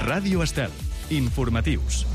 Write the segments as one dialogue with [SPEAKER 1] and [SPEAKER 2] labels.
[SPEAKER 1] Ràdio Estel. Informatius.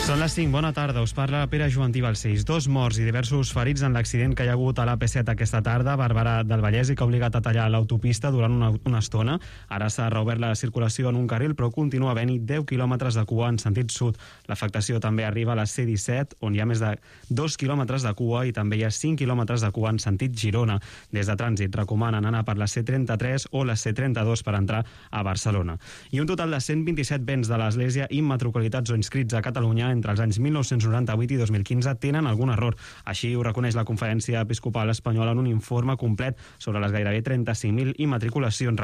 [SPEAKER 2] Són les 5, bona tarda, us parla Pere Joantí Balcells. 2 morts i diversos ferits en l'accident que hi ha hagut a l'AP7 aquesta tarda a Barberà del Vallès i que ha obligat a tallar l'autopista durant una estona. Ara s'ha reobert la circulació en un carril, però continua havent-hi 10 quilòmetres de cua en sentit sud. L'afectació també arriba a la C-17, on hi ha més de 2 quilòmetres de cua i també hi ha 5 quilòmetres de cua en sentit Girona. Des de Trànsit recomanen anar per la C-33 o la C-32 per entrar a Barcelona. I un total de 127 béns de l'Església immatriculats o inscrits a Catalunya entre els anys 1998 i 2015 tenen algun error. Així ho reconeix la Conferència Episcopal Espanyola en un informe complet sobre les gairebé 35.000 immatriculacions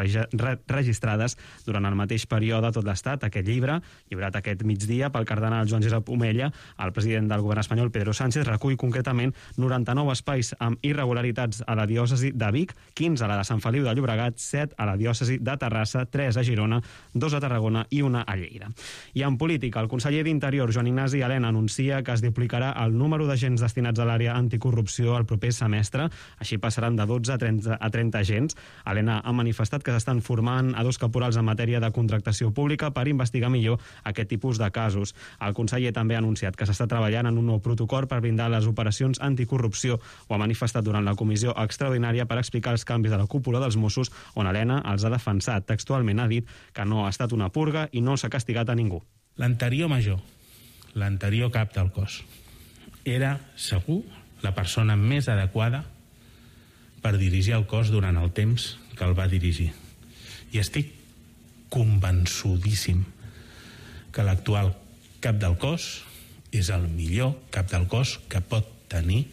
[SPEAKER 2] registrades durant el mateix període a tot l'Estat. Aquest llibre, llibrat aquest migdia pel cardenal Joan Josep Omella, el president del govern espanyol Pedro Sánchez, recull concretament 99 espais amb irregularitats a la diòcesi de Vic, 15 a la de Sant Feliu de Llobregat, 7 a la diòcesi de Terrassa, 3 a Girona, 2 a Tarragona i 1 a Lleida. I en política, el conseller d'Interior, Joan Ignasi Elena, anuncia que es duplicarà el número d'agents destinats a l'àrea anticorrupció el proper semestre. Així passaran de 12 a 30 agents. Elena ha manifestat que s'estan formant a 2 caporals en matèria de contractació pública per investigar millor aquest tipus de casos. El conseller també ha anunciat que s'està treballant en un nou protocol per blindar les operacions anticorrupció. Ho ha manifestat durant la comissió extraordinària per explicar els canvis de la cúpula dels Mossos, on Elena els ha defensat. Textualment ha dit que no ha estat una purga i no s'ha castigat a ningú.
[SPEAKER 3] L'anterior major, l'anterior cap del cos, era segur la persona més adequada per dirigir el cos durant el temps que el va dirigir. I estic convençudíssim que l'actual cap del cos és el millor cap del cos que pot tenir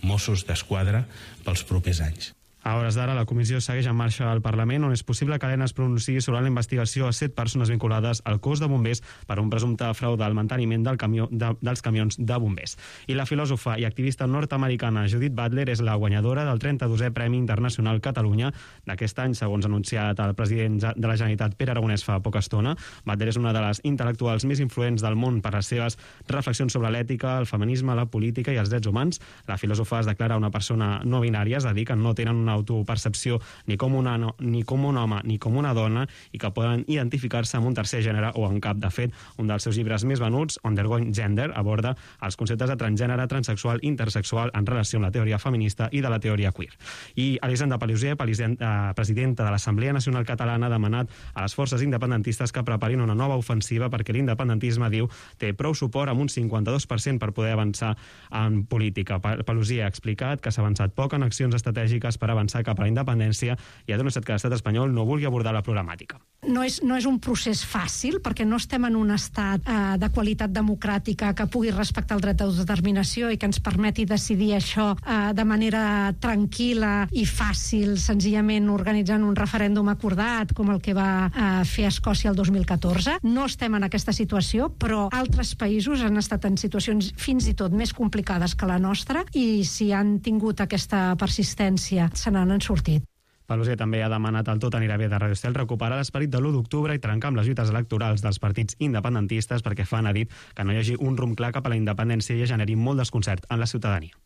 [SPEAKER 3] Mossos d'Esquadra pels propers anys.
[SPEAKER 2] A hores d'ara, la comissió segueix en marxa al Parlament, on és possible que Elena es pronunciï sobre la investigació a 7 persones vinculades al cos de bombers per un presumpte frau del manteniment dels camions de bombers. I la filòsofa i activista nord-americana Judith Butler és la guanyadora del 32è Premi Internacional Catalunya d'aquest any, segons ha anunciat el president de la Generalitat, Pere Aragonès, fa poca estona. Butler és una de les intel·lectuals més influents del món per les seves reflexions sobre l'ètica, el feminisme, la política i els drets humans. La filòsofa es declara una persona no binària, és a dir, que no tenen una autopercepció ni com un home ni com una dona i que poden identificar-se amb un tercer gènere o en cap. De fet, un dels seus llibres més venuts, Undergoing Gender, aborda els conceptes de transgènere, transexual, intersexual en relació amb la teoria feminista i de la teoria queer. I Elisenda Paluzie, presidenta de l'Assemblea Nacional Catalana, ha demanat a les forces independentistes que preparin una nova ofensiva perquè l'independentisme, diu, té prou suport amb un 52% per poder avançar en política. Paluzie ha explicat que s'ha avançat poc en accions estratègiques per avançar cap a la independència i ha denunciat que l'estat espanyol no vulgui abordar la problemàtica.
[SPEAKER 4] No és un procés fàcil, perquè no estem en un estat de qualitat democràtica que pugui respectar el dret d'autodeterminació i que ens permeti decidir això de manera tranquil·la i fàcil, senzillament organitzant un referèndum acordat, com el que va fer Escòcia el 2014. No estem en aquesta situació, però altres països han estat en situacions fins i tot més complicades que la nostra i si han tingut aquesta persistència se n'han sortit.
[SPEAKER 2] Paluzie també ha demanat al Tot anirà bé de Radio Estel recuperar l'esperit de l'1 d'octubre i trencar amb les lluites electorals dels partits independentistes perquè fan, ha dit, que no hi hagi un rumb clar cap a la independència i generi molt desconcert en la ciutadania.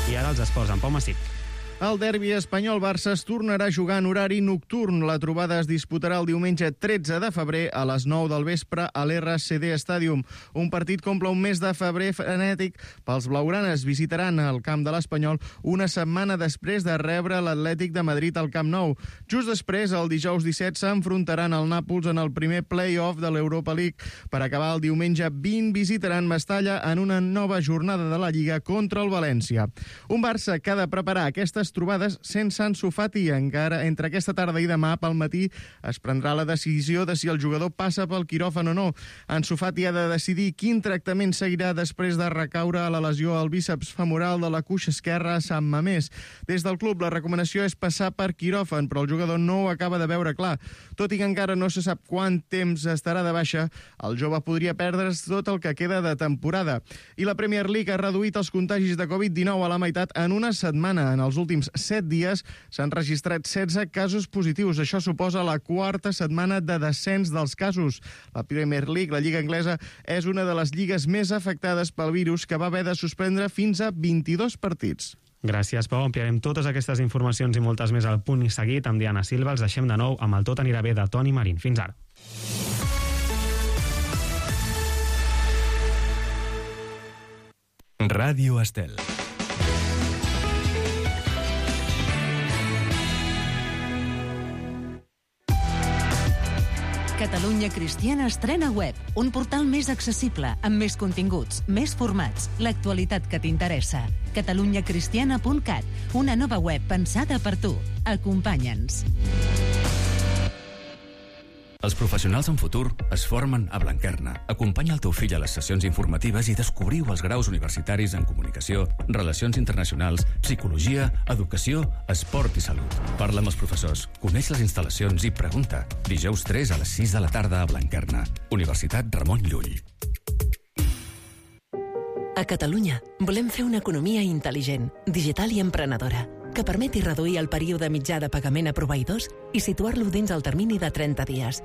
[SPEAKER 2] I ara els esports, en Pau Massip.
[SPEAKER 5] El derbi espanyol-Barça es tornarà a jugar en horari nocturn. La trobada es disputarà el diumenge 13 de febrer a les 9 del vespre a l'RCD Stadium. Un partit que omple un mes de febrer frenètic pels blaugranes. Visitaran el camp de l'Espanyol una setmana després de rebre l'Atlètic de Madrid al Camp Nou. Just després, el dijous 17, s'enfrontaran al Nàpols en el primer play-off de l'Europa League. Per acabar, el diumenge 20 visitaran Mestalla en una nova jornada de la Lliga contra el València. Un Barça que ha de preparar aquestes trobades sense Ansu Fati. Encara entre aquesta tarda i demà pel matí es prendrà la decisió de si el jugador passa pel quiròfan o no. Ansu Fati ha de decidir quin tractament seguirà després de recaure a la lesió al bíceps femoral de la cuixa esquerra a Sant Mamés. Des del club la recomanació és passar per quiròfan, però el jugador no ho acaba de veure clar. Tot i que encara no se sap quant temps estarà de baixa, el jove podria perdre's tot el que queda de temporada. I la Premier League ha reduït els contagis de Covid-19 a la meitat en una setmana. En els últims 7 dies s'han registrat 16 casos positius. Això suposa la 4a setmana de descens dels casos. La Premier League, la Lliga Anglesa, és una de les lligues més afectades pel virus, que va haver de suspendre fins a 22 partits.
[SPEAKER 2] Gràcies, Pau. Ampliarem totes aquestes informacions i moltes més al Punt i Seguit amb Diana Silva. Els deixem de nou amb el Tot anirà bé de Toni Marín. Fins ara.
[SPEAKER 1] Ràdio Estel.
[SPEAKER 6] Catalunya Cristiana estrena web, un portal més accessible, amb més continguts, més formats, l'actualitat que t'interessa. catalunyacristiana.cat, una nova web pensada per tu. Acompanya'ns.
[SPEAKER 7] Els professionals en futur es formen a Blanquerna. Acompanya el teu fill a les sessions informatives i descobriu els graus universitaris en comunicació, relacions internacionals, psicologia, educació, esport i salut. Parla amb els professors, coneix les instal·lacions i pregunta. Dijous 3 a les 6 de la tarda a Blanquerna. Universitat Ramon Llull.
[SPEAKER 8] A Catalunya volem fer una economia intel·ligent, digital i emprenedora, que permeti reduir el període mitjà de pagament a proveïdors i situar-lo dins el termini de 30 dies.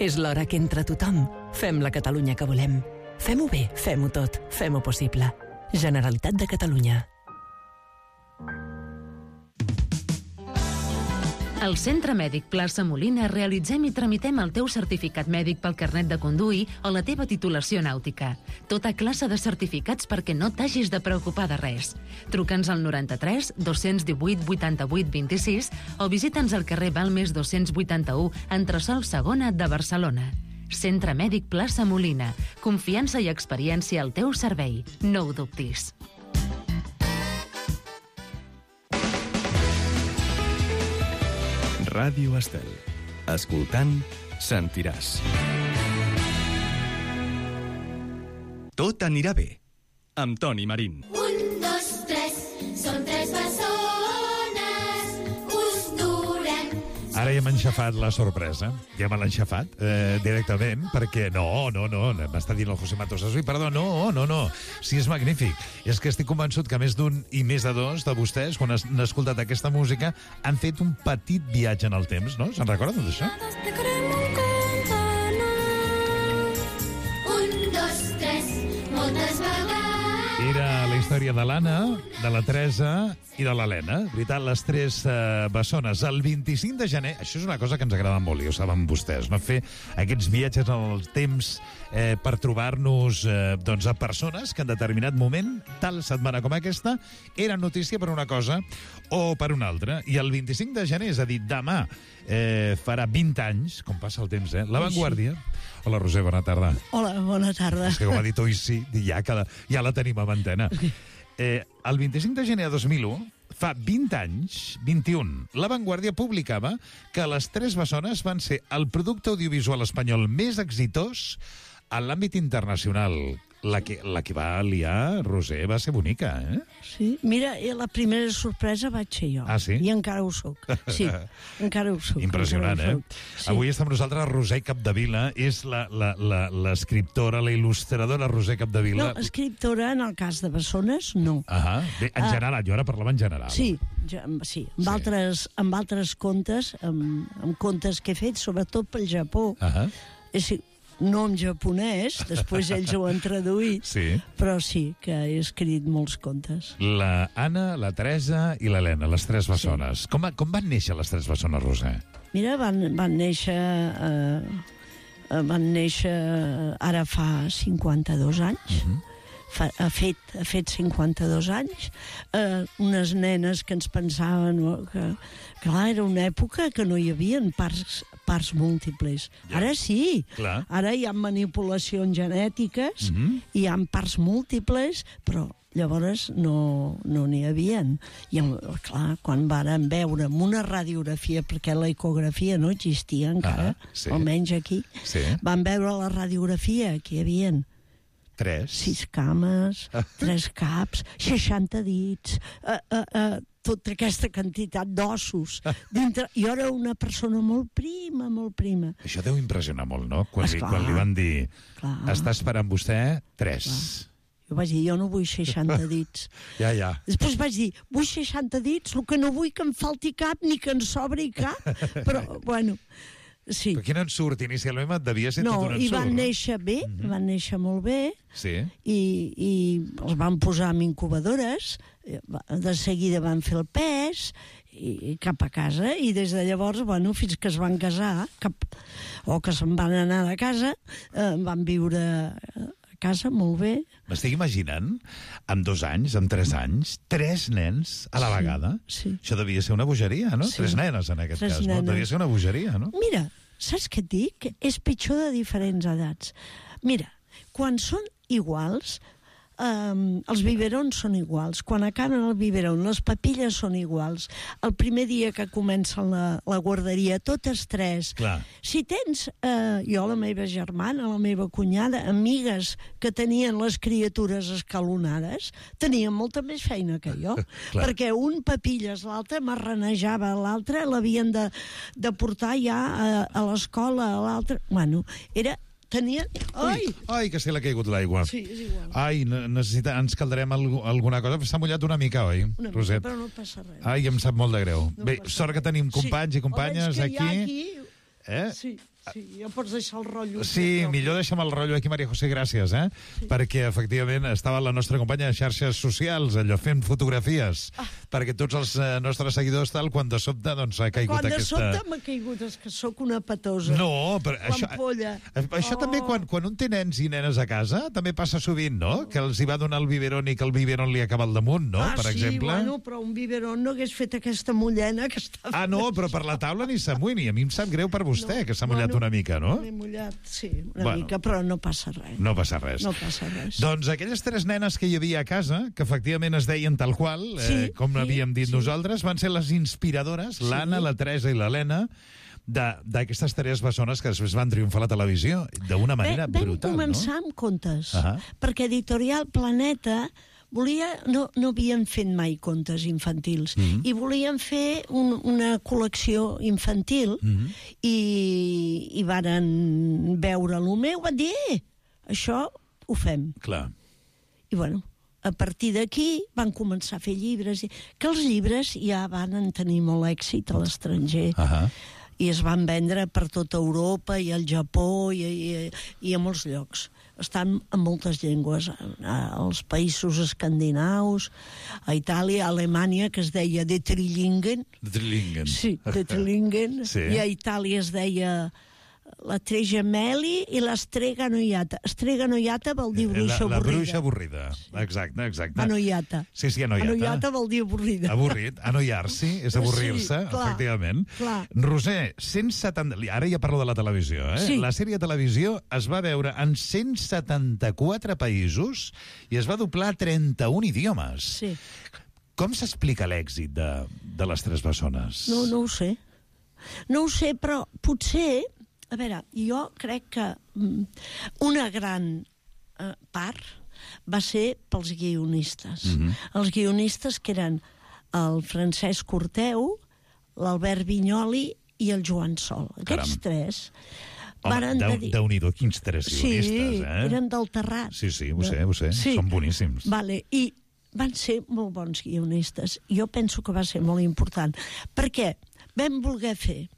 [SPEAKER 8] És l'hora que entre tothom fem la Catalunya que volem. Fem-ho bé, fem-ho tot, fem-ho possible. Generalitat de Catalunya.
[SPEAKER 6] Al Centre Mèdic Plaça Molina realitzem i tramitem el teu certificat mèdic pel carnet de conduir o la teva titulació nàutica. Tota classe de certificats perquè no t'hagis de preocupar de res. Truca'ns al 93 218 88 26 o visita'ns al carrer Balmes 281, entresòl Segona de Barcelona. Centre Mèdic Plaça Molina. Confiança i experiència al teu servei. No ho dubtis.
[SPEAKER 1] Ràdio Estel. Escoltant, sentiràs. Tot anirà bé, amb Toni Marín.
[SPEAKER 9] 1, 2, 3, són 3 bessones, us durem.
[SPEAKER 10] Ara ja m'ha enxafat la sorpresa. Ja me l'ha enxafat directament, perquè no, m'està dient el José Matos Asui, perdó, no. Sí, és magnífic. És que estic convençut que més d'un i més de dos de vostès, quan han escoltat aquesta música, han fet un petit viatge en el temps, no? Se'n recorden d'això?
[SPEAKER 9] 1, 2, 3, moltes vegades.
[SPEAKER 10] Era la història de l'Anna, de la Teresa i de l'Helena. Veritat, les 3 bessones. El 25 de gener, això és una cosa que ens agrada molt, i ho saben vostès, no? Fer aquests viatges en el temps per trobar-nos doncs, a persones que en determinat moment, tal setmana com aquesta, eren notícia per una cosa o per una altra. I el 25 de gener, és a dir, demà, farà 20 anys, com passa el temps, La Vanguardia. Hola, Roser, bona tarda.
[SPEAKER 11] Hola, bona tarda.
[SPEAKER 10] És que com ha dit oi sí, ja la tenim a antena. El 25 de gener de 2001, fa 20 anys, 21, La Vanguardia publicava que les 3 bessones van ser el producte audiovisual espanyol més exitós en l'àmbit internacional. La que va liar, Roser, va ser bonica,
[SPEAKER 11] Sí, mira, la primera sorpresa vaig ser jo.
[SPEAKER 10] Ah, sí?
[SPEAKER 11] I encara ho soc. Sí, encara ho soc.
[SPEAKER 10] Impressionant,
[SPEAKER 11] Sí.
[SPEAKER 10] Avui està amb nosaltres Roser Capdevila, és l'escriptora, la il·lustradora Roser Capdevila.
[SPEAKER 11] No, escriptora, en el cas de bessones, no.
[SPEAKER 10] Bé, en general, jo ara parlava en general.
[SPEAKER 11] Sí, amb altres contes, amb contes que he fet, sobretot pel Japó. No en japonès, després ells ho han traduït, però sí que he escrit molts contes.
[SPEAKER 10] La Anna, la Teresa i l'Helena, les 3 bessones. Com van néixer les 3 bessones, Roser?
[SPEAKER 11] Mira, van néixer ara fa 52 anys. Ha fet 52 anys, unes nenes que ens pensaven que clar, era una època que no hi havia parts múltiples. Ara sí, ara hi ha manipulacions genètiques, hi ha parts múltiples, però llavors no n'hi havia. I clar, quan varen veure amb una radiografia, perquè la ecografia no existia encara, almenys aquí, van veure la radiografia que hi havia 6 cames, 3 caps, 60 dits, tota aquesta quantitat d'ossos. Jo era una persona molt prima, molt prima.
[SPEAKER 10] Això deu impressionar molt, no? Quan li van dir, està esperant vostè 3.
[SPEAKER 11] Jo vaig dir, jo no vull 60 dits.
[SPEAKER 10] Ja.
[SPEAKER 11] Després vaig dir, vull 60 dits, el que no vull que em falti cap ni que en sobri cap. Però, bueno... Sí.
[SPEAKER 10] Però qui no en surt? Inicialment devia ser tot un ensurt.
[SPEAKER 11] No, i van néixer bé, van néixer molt bé,
[SPEAKER 10] i els
[SPEAKER 11] van posar en incubadores, De seguida van fer el pes i cap a casa, i des de llavors, fins que es van casar, o que se'n van anar de casa, van viure a casa molt bé.
[SPEAKER 10] M'estic imaginant, amb 2 anys, amb 3 anys, 3 nens a la vegada.
[SPEAKER 11] Sí.
[SPEAKER 10] Això devia ser una bogeria, no? 3 nenes, en aquest cas, no? Devia ser una bogeria, no?
[SPEAKER 11] Mira, saps què et dic? És pitjor de diferents edats. Mira, quan són iguals, els biberons són iguals. Quan acaben el biberon, les papilles són iguals. El primer dia que comencen la guarderia, totes 3.
[SPEAKER 10] Clar.
[SPEAKER 11] Si tens, jo, la meva germana, la meva cunyada, amigues que tenien les criatures escalonades, tenien molta més feina que jo. Perquè un papilles, l'altre marranejava, l'altre l'havien de portar ja a l'escola, a l'altre... Era... Tenia...
[SPEAKER 10] Ai, que se l'ha caigut l'aigua.
[SPEAKER 11] Sí, és igual.
[SPEAKER 10] Ai, ens caldarem alguna cosa. S'ha mullat una mica, oi, Roset?
[SPEAKER 11] Però no passa res.
[SPEAKER 10] Ai, em sap molt de greu. Bé, sort que tenim companys i companyes aquí.
[SPEAKER 11] Sí, ja pots deixar el rotllo.
[SPEAKER 10] Sí, millor deixa'm el rotllo aquí, Maria José, gràcies, perquè efectivament estava la nostra companya de xarxes socials, allò fent fotografies, perquè tots els nostres seguidors tal, quan de sobte doncs ha caigut aquesta...
[SPEAKER 11] Quan de sobte m'ha caigut, és que sóc una patosa.
[SPEAKER 10] No, però això també quan un té nens i nenes a casa, també passa sovint, no? Que els hi va donar el biberon i que el biberon li acaba al damunt, no? Per exemple.
[SPEAKER 11] Sí, però un biberon no hagués fet aquesta mullena que està fent.
[SPEAKER 10] No, però per la taula ni s'amuïni. A mi em sap greu per vostè, que s'ha mullat una mica, no?
[SPEAKER 11] M'he mullat, sí, una mica, però no passa res.
[SPEAKER 10] No passa res.
[SPEAKER 11] No passa res.
[SPEAKER 10] Doncs aquelles 3 nenes que hi havia a casa, que efectivament es deien tal qual, com havíem dit nosaltres, van ser les inspiradores, l'Anna, la Teresa i l'Helena, d'aquestes 3 bessones que després van triomfar a la televisió d'una manera brutal, no?
[SPEAKER 11] Vam començar amb contes, perquè Editorial Planeta no havien fet mai contes infantils i volien fer una col·lecció infantil i varen veure el meu, van dir, això ho fem.
[SPEAKER 10] Clar.
[SPEAKER 11] I a partir d'aquí van començar a fer llibres, que els llibres ja van tenir molt èxit a l'estranger. I es van vendre per tota Europa i al Japó i a molts llocs. Estan en moltes llengües, als països escandinaus, a Itàlia, a Alemanya, que es deia De Trillingen. Sí, De Trillingen. I a Itàlia es deia la Tregemeli i l'Estrega Noiata. Estrega Noiata vol dir bruixa avorrida.
[SPEAKER 10] La bruixa avorrida, exacte.
[SPEAKER 11] Anoiata.
[SPEAKER 10] Sí, anoiata.
[SPEAKER 11] Anoiata vol dir avorrida.
[SPEAKER 10] Avorrit, anoiar-s'hi, és avorrir-se, efectivament. Roser, 170... Ara ja parlo de la televisió, La sèrie de televisió es va veure en 174 països i es va doblar a 31 idiomes.
[SPEAKER 11] Sí.
[SPEAKER 10] Com s'explica l'èxit de les 3 bessones?
[SPEAKER 11] No ho sé. No ho sé, però potser... A veure, jo crec que una gran part va ser pels guionistes. Els guionistes que eren el Francesc Corteu, l'Albert Vinyoli i el Joan Sol. Aquests 3...
[SPEAKER 10] Home, Déu-n'hi-do, quins 3 guionistes,
[SPEAKER 11] Sí, eren del Terrat.
[SPEAKER 10] Sí, ho sé. Són boníssims.
[SPEAKER 11] I van ser molt bons guionistes. Jo penso que va ser molt important. Perquè vam voler fer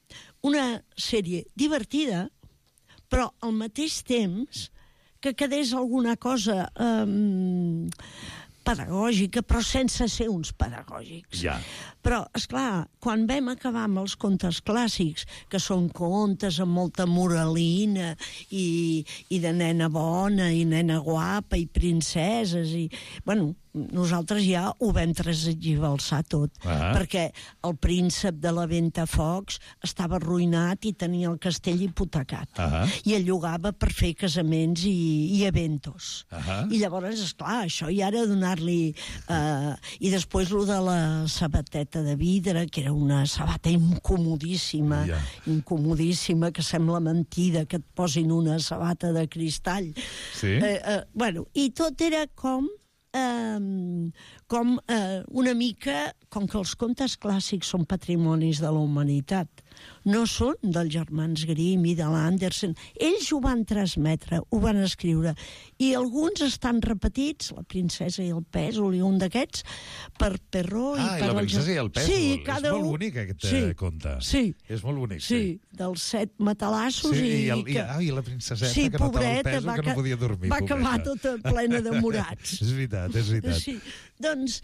[SPEAKER 11] una sèrie divertida, però al mateix temps que quedés alguna cosa pedagògica, però sense ser uns pedagògics. Però, esclar, quan vam acabar amb els contes clàssics, que són contes amb molta moralina i de nena bona i nena guapa i princeses i... nosaltres ja ho vam transgiversar tot, perquè el príncep de la Ventafocs estava arruïnat i tenia el castell hipotecat. I el llogava per fer casaments i eventos. I llavors, esclar, això ja era donar-li... I després lo de la sabateta de vidre, que era una sabata incomodíssima, que sembla mentida que et posin una sabata de cristall. I tot era com una mica, com que els contes clàssics són patrimonis de la humanitat, no són dels germans Grimm i de l'Andersen. Ells ho van transmetre, ho van escriure. I alguns estan repetits, La princesa i el pèsol i un d'aquests, per Perrault i per...
[SPEAKER 10] La princesa i el pèsol.
[SPEAKER 11] Sí,
[SPEAKER 10] és molt bonic aquest conte.
[SPEAKER 11] Sí.
[SPEAKER 10] És molt bonic,
[SPEAKER 11] sí. Dels 7 matalassos
[SPEAKER 10] i la princeseta que notava el pèsol que no podia dormir.
[SPEAKER 11] Va acabar tota plena de morats.
[SPEAKER 10] És veritat.
[SPEAKER 11] Sí. Doncs,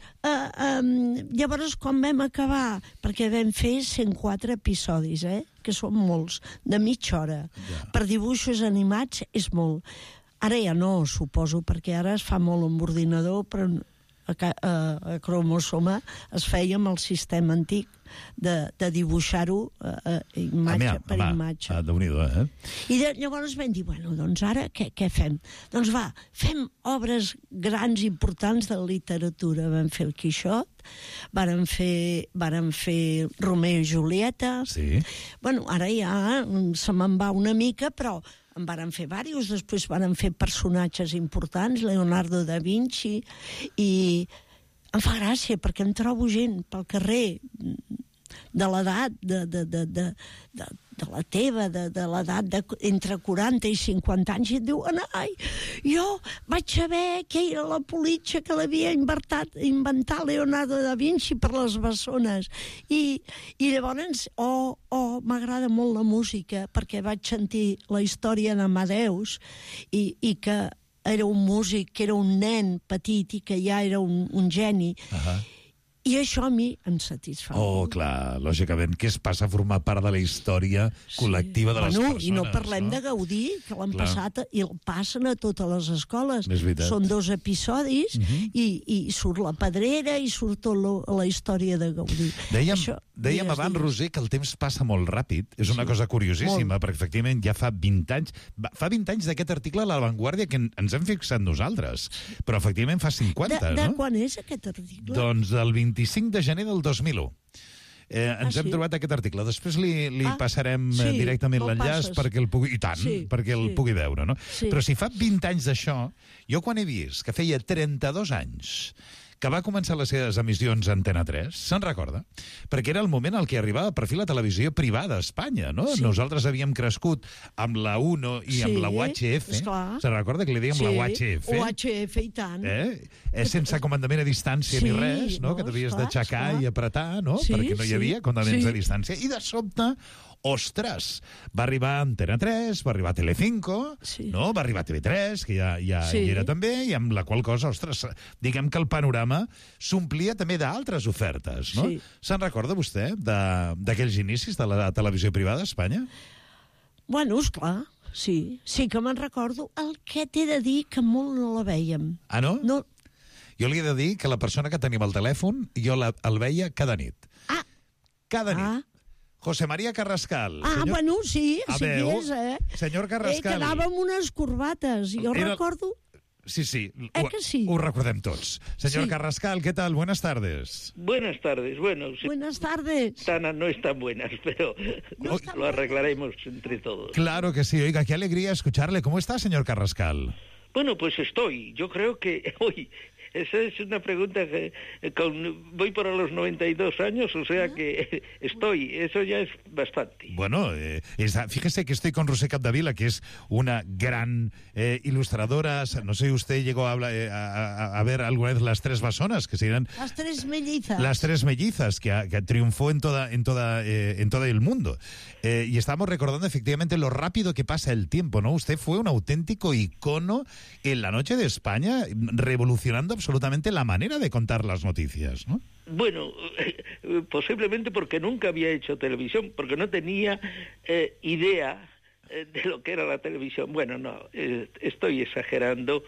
[SPEAKER 11] llavors, quan vam acabar, perquè vam fer 104 episodis, que són molts, de mitja hora. Per dibuixos animats és molt. Ara ja no, suposo, perquè ara es fa molt amb ordinador, però a Cromosoma es feia amb el sistema antic de dibuixar-ho imatge per imatge.
[SPEAKER 10] Déu-n'hi-do,
[SPEAKER 11] I llavors vam dir, bueno, doncs ara què fem? Doncs va, fem obres grans importants de literatura. Vam fer el Quixot, vàrem fer Romeo i Julieta.
[SPEAKER 10] Sí.
[SPEAKER 11] Bueno, ara ja se me'n va una mica, però en varen fer diversos, després varen fer personatges importants, Leonardo da Vinci, i em fa gràcia perquè em trobo gent pel carrer de l'edat de la teva, de l'edat entre 40 i 50 anys, i et diuen, ai, jo vaig saber que era la politxa que l'havia inventat Leonardo da Vinci per les bessones. I llavors, m'agrada molt la música, perquè vaig sentir la història d'Amadeus i que era un músic, que era un nen petit i que ja era un geni. I això a mi em satisfà.
[SPEAKER 10] Clar, lògicament, que es passa a formar part de la història col·lectiva de les persones.
[SPEAKER 11] I no parlem de Gaudí, que l'han passat i el passen a totes les escoles. Són 2 episodis i surt la Pedrera i surt tota la història de Gaudí.
[SPEAKER 10] Dèiem abans, Roser, que el temps passa molt ràpid. És una cosa curiosíssima, perquè efectivament ja fa 20 anys... Fa 20 anys d'aquest article a La Vanguardia que ens hem fixat nosaltres, però efectivament fa 50, no?
[SPEAKER 11] De quan és aquest article?
[SPEAKER 10] Doncs del 25 de gener del 2001. Ens hem trobat aquest article. Després li passarem directament l'enllaç perquè el pugui... I tant, perquè el pugui veure, no? Però si fa 20 anys d'això, jo quan he vist que feia 32 anys que va començar les seves emissions a Antena 3, se'n recorda? Perquè era el moment en què arribava per fi la televisió privada a Espanya, no? Nosaltres havíem crescut amb la UNO i amb la UHF. Se'n recorda que li dèiem la UHF?
[SPEAKER 11] UHF, i tant.
[SPEAKER 10] Sense comandament a distància ni res, no? Que t'havies d'aixecar i apretar, no? Perquè no hi havia comandaments a distància. I de sobte, ostres, va arribar Antena 3, va arribar Telecinco, no? Va arribar TV3, que ja hi era també, i amb la qual cosa, ostres, diguem que el panorama s'omplia també d'altres ofertes, no? Se'n recorda vostè d'aquells inicis de la televisió privada a Espanya?
[SPEAKER 11] Bueno, esclar, sí que me'n recordo. El que t'he de dir que molt no la vèiem.
[SPEAKER 10] Ah, no? Jo li he de dir que la persona que tenim al telèfon, jo el veia cada nit. Cada nit. José María Carrascal.
[SPEAKER 11] Bueno, sí que és,
[SPEAKER 10] Senyor Carrascal.
[SPEAKER 11] Quedava amb unes corbates, jo recordo...
[SPEAKER 10] Sí,
[SPEAKER 11] que sí?
[SPEAKER 10] Ho recordem tots. Señor Carrascal, ¿qué tal? Buenas tardes.
[SPEAKER 12] Buenas tardes. Bueno,
[SPEAKER 11] buenas tardes.
[SPEAKER 12] No están buenas, pero lo arreglaremos entre todos.
[SPEAKER 10] Claro que sí. Oiga, qué alegría escucharle. ¿Cómo está, señor Carrascal?
[SPEAKER 12] Bueno, pues estoy. Yo creo que hoy... Esa es una pregunta que voy para los 92 años, o sea que eso ya es bastante.
[SPEAKER 10] Bueno, fíjese que estoy con Roser Capdevila, que es una gran ilustradora. No sé si usted llegó a ver alguna vez Las Tres Bessonas, que serían...
[SPEAKER 11] Las Tres Mellizas.
[SPEAKER 10] Las Tres Mellizas, que triunfó en todo el mundo. Y estamos recordando efectivamente lo rápido que pasa el tiempo, ¿no? Usted fue un auténtico icono en la noche de España, revolucionando absolutamente la manera de contar las noticias, ¿no?
[SPEAKER 12] Bueno, posiblemente porque nunca había hecho televisión, porque no tenía idea de lo que era la televisión. Bueno, no, estoy exagerando,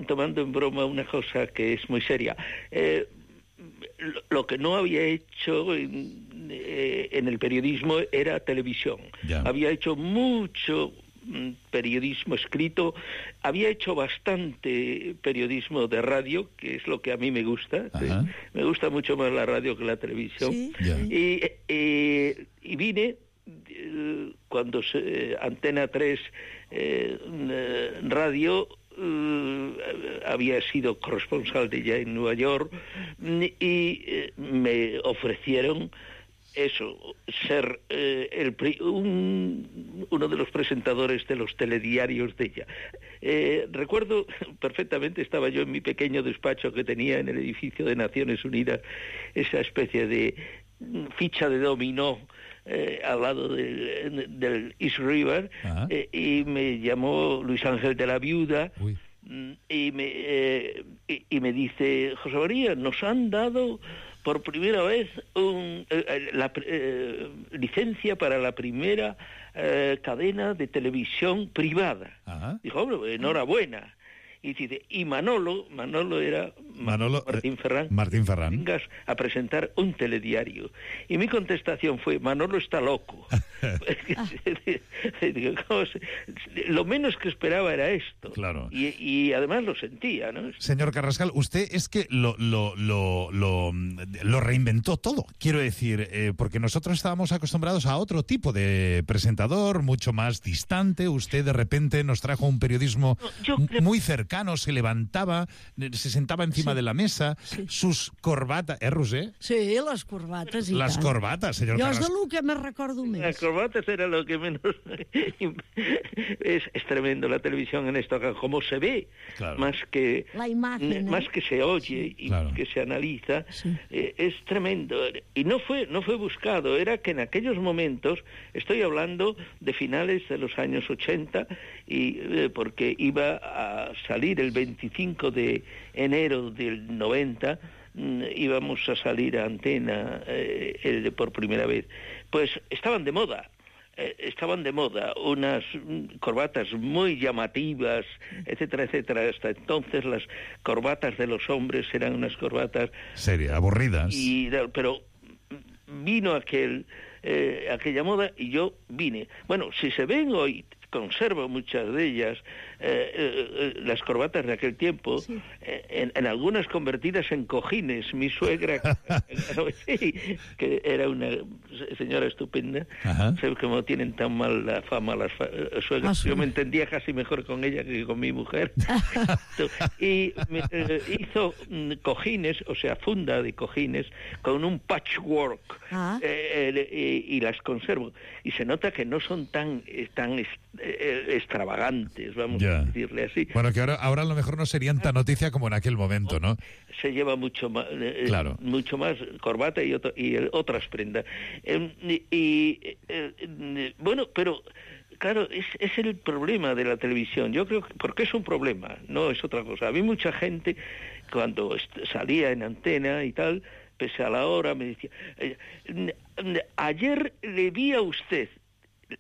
[SPEAKER 12] tomando en broma una cosa que es muy seria. Lo que no había hecho en el periodismo era televisión. Había hecho mucho periodismo escrito, había hecho bastante periodismo de radio, que es lo que a mí me gusta. Me gusta mucho más la radio que la televisión. Y vine cuando Antena 3 radio había sido corresponsal de ella en Nueva York y me ofrecieron eso, ser uno de los presentadores de los telediarios de ella. Recuerdo perfectamente, estaba yo en mi pequeño despacho que tenía en el edificio de Naciones Unidas, esa especie de ficha de dominó al lado del East River, y me llamó Luis Ángel de la Viuda. Uy. Y me dice: José María, nos han dado por primera vez la licencia para la primera cadena de televisión privada. Ajá. Dijo: hombre, enhorabuena. Y dice, y Manolo era Martín Ferrán. Vengas a presentar un telediario. Y mi contestación fue: Manolo está loco. Lo menos que esperaba era esto.
[SPEAKER 10] Claro.
[SPEAKER 12] Y además lo sentía, ¿no?
[SPEAKER 10] Señor Carrascal, usted es que lo reinventó todo. Quiero decir, porque nosotros estábamos acostumbrados a otro tipo de presentador, mucho más distante. Usted de repente nos trajo un periodismo muy cercano. Se levantaba, se sentaba encima de la mesa, sus corbatas... Roser?
[SPEAKER 11] Sí, les corbates i
[SPEAKER 10] les
[SPEAKER 11] tant.
[SPEAKER 10] Corbates, senyor
[SPEAKER 11] Jo
[SPEAKER 10] Carrascal.
[SPEAKER 11] és de lo que me recordo més.
[SPEAKER 12] Las corbatas era lo que menos... es tremendo la televisión en esto, como se ve, claro. Más que se oye y claro. Que se analiza, sí. Es tremendo. Y no fue buscado, era que en aquellos momentos, estoy hablando de finales de los años 80, y porque iba a salir el 25 de enero del 90, íbamos a salir a antena por primera vez. Pues estaban de moda unas corbatas muy llamativas, etcétera, etcétera. Hasta entonces las corbatas de los hombres eran unas corbatas
[SPEAKER 10] serias, aburridas.
[SPEAKER 12] Pero vino aquella moda y yo vine. Bueno, si se ven hoy, conservo muchas de ellas, las corbatas de aquel tiempo, sí. En algunas convertidas en cojines. Mi suegra, que era una señora estupenda, sé cómo tienen tan mal la fama las suegras. Yo me entendía casi mejor con ella que con mi mujer. Y hizo cojines, o sea, funda de cojines, con un patchwork, y las conservo. Y se nota que no son tan extravagantes, vamos a decirle así.
[SPEAKER 10] Bueno, que ahora a lo mejor no serían tan noticia como en aquel momento, ¿no?
[SPEAKER 12] Se lleva mucho más, claro. Mucho más corbata y otras prendas. Bueno, pero claro, es el problema de la televisión. Yo creo que porque es un problema, no es otra cosa. A mí mucha gente, cuando salía en antena y tal, pese a la hora, me decía: ayer le vi a usted,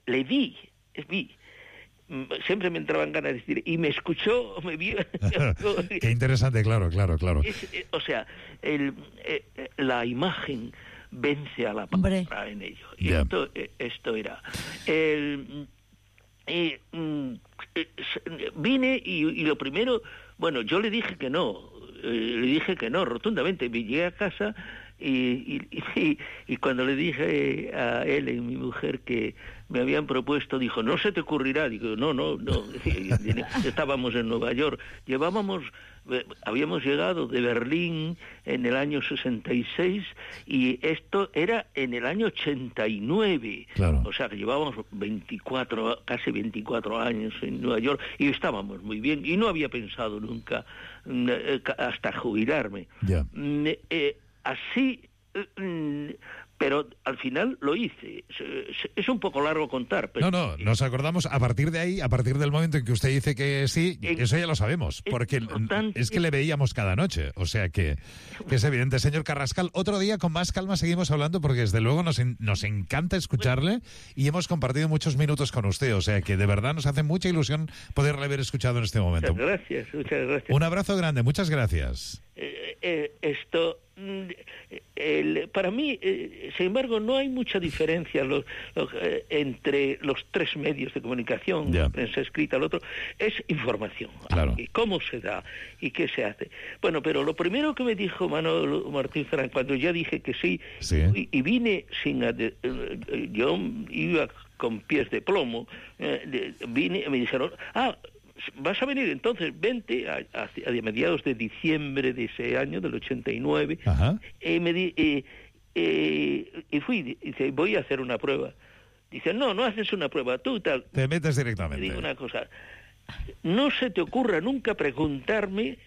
[SPEAKER 12] le vi. Siempre me entraban ganas de decir, y me escuchó, me vio.
[SPEAKER 10] Qué interesante, claro.
[SPEAKER 12] O sea, la imagen vence a la palabra en ello. Y esto era. Vine y lo primero, bueno, yo le dije que no, rotundamente. Me llegué a casa y cuando le dije a él y mi mujer que me habían propuesto, dijo: no se te ocurrirá. Digo, no. Estábamos en Nueva York, habíamos llegado de Berlín en el año 66 y esto era en el año 89. Claro. O sea que llevábamos casi 24 años en Nueva York y estábamos muy bien y no había pensado nunca hasta jubilarme. Así, pero al final lo hice. Es un poco largo contar. Pero
[SPEAKER 10] no, nos acordamos a partir de ahí, a partir del momento en que usted dice que sí, eso ya lo sabemos, porque es que le veíamos cada noche, o sea que es evidente. Señor Carrascal, otro día con más calma seguimos hablando, porque desde luego nos encanta escucharle y hemos compartido muchos minutos con usted, o sea que de verdad nos hace mucha ilusión poderle haber escuchado en este momento.
[SPEAKER 12] Muchas gracias.
[SPEAKER 10] Un abrazo grande, muchas gracias.
[SPEAKER 12] Para mí, sin embargo, no hay mucha diferencia entre los tres medios de comunicación, prensa escrita, el otro, es información.
[SPEAKER 10] Claro.
[SPEAKER 12] Y cómo se da y qué se hace. Bueno, pero lo primero que me dijo Martín Ferrán, cuando ya dije que sí. Y vine yo iba con pies de plomo, vine y me dijeron: vas a venir, entonces vente a mediados de diciembre de ese año, del 89. y fui, dice, voy a hacer una prueba. Dice, no haces una prueba, tú tal.
[SPEAKER 10] Te metes directamente.
[SPEAKER 12] Te digo una cosa, no se te ocurra nunca preguntarme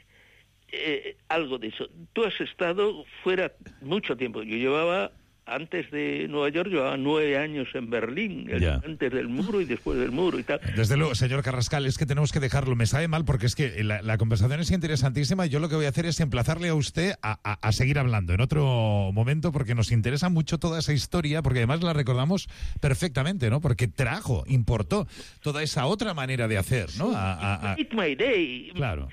[SPEAKER 12] algo de eso. Tú has estado fuera mucho tiempo. Yo llevaba, antes de Nueva York, llevaba 9 años en Berlín, antes del muro y después del muro y tal.
[SPEAKER 10] Desde luego, señor Carrascal, es que tenemos que dejarlo. Me sabe mal porque es que la conversación es interesantísima y yo lo que voy a hacer es emplazarle a usted a seguir hablando en otro momento porque nos interesa mucho toda esa historia, porque además la recordamos perfectamente, ¿no? Porque importó toda esa otra manera de hacer, ¿no?
[SPEAKER 12] It's my day.
[SPEAKER 10] Claro.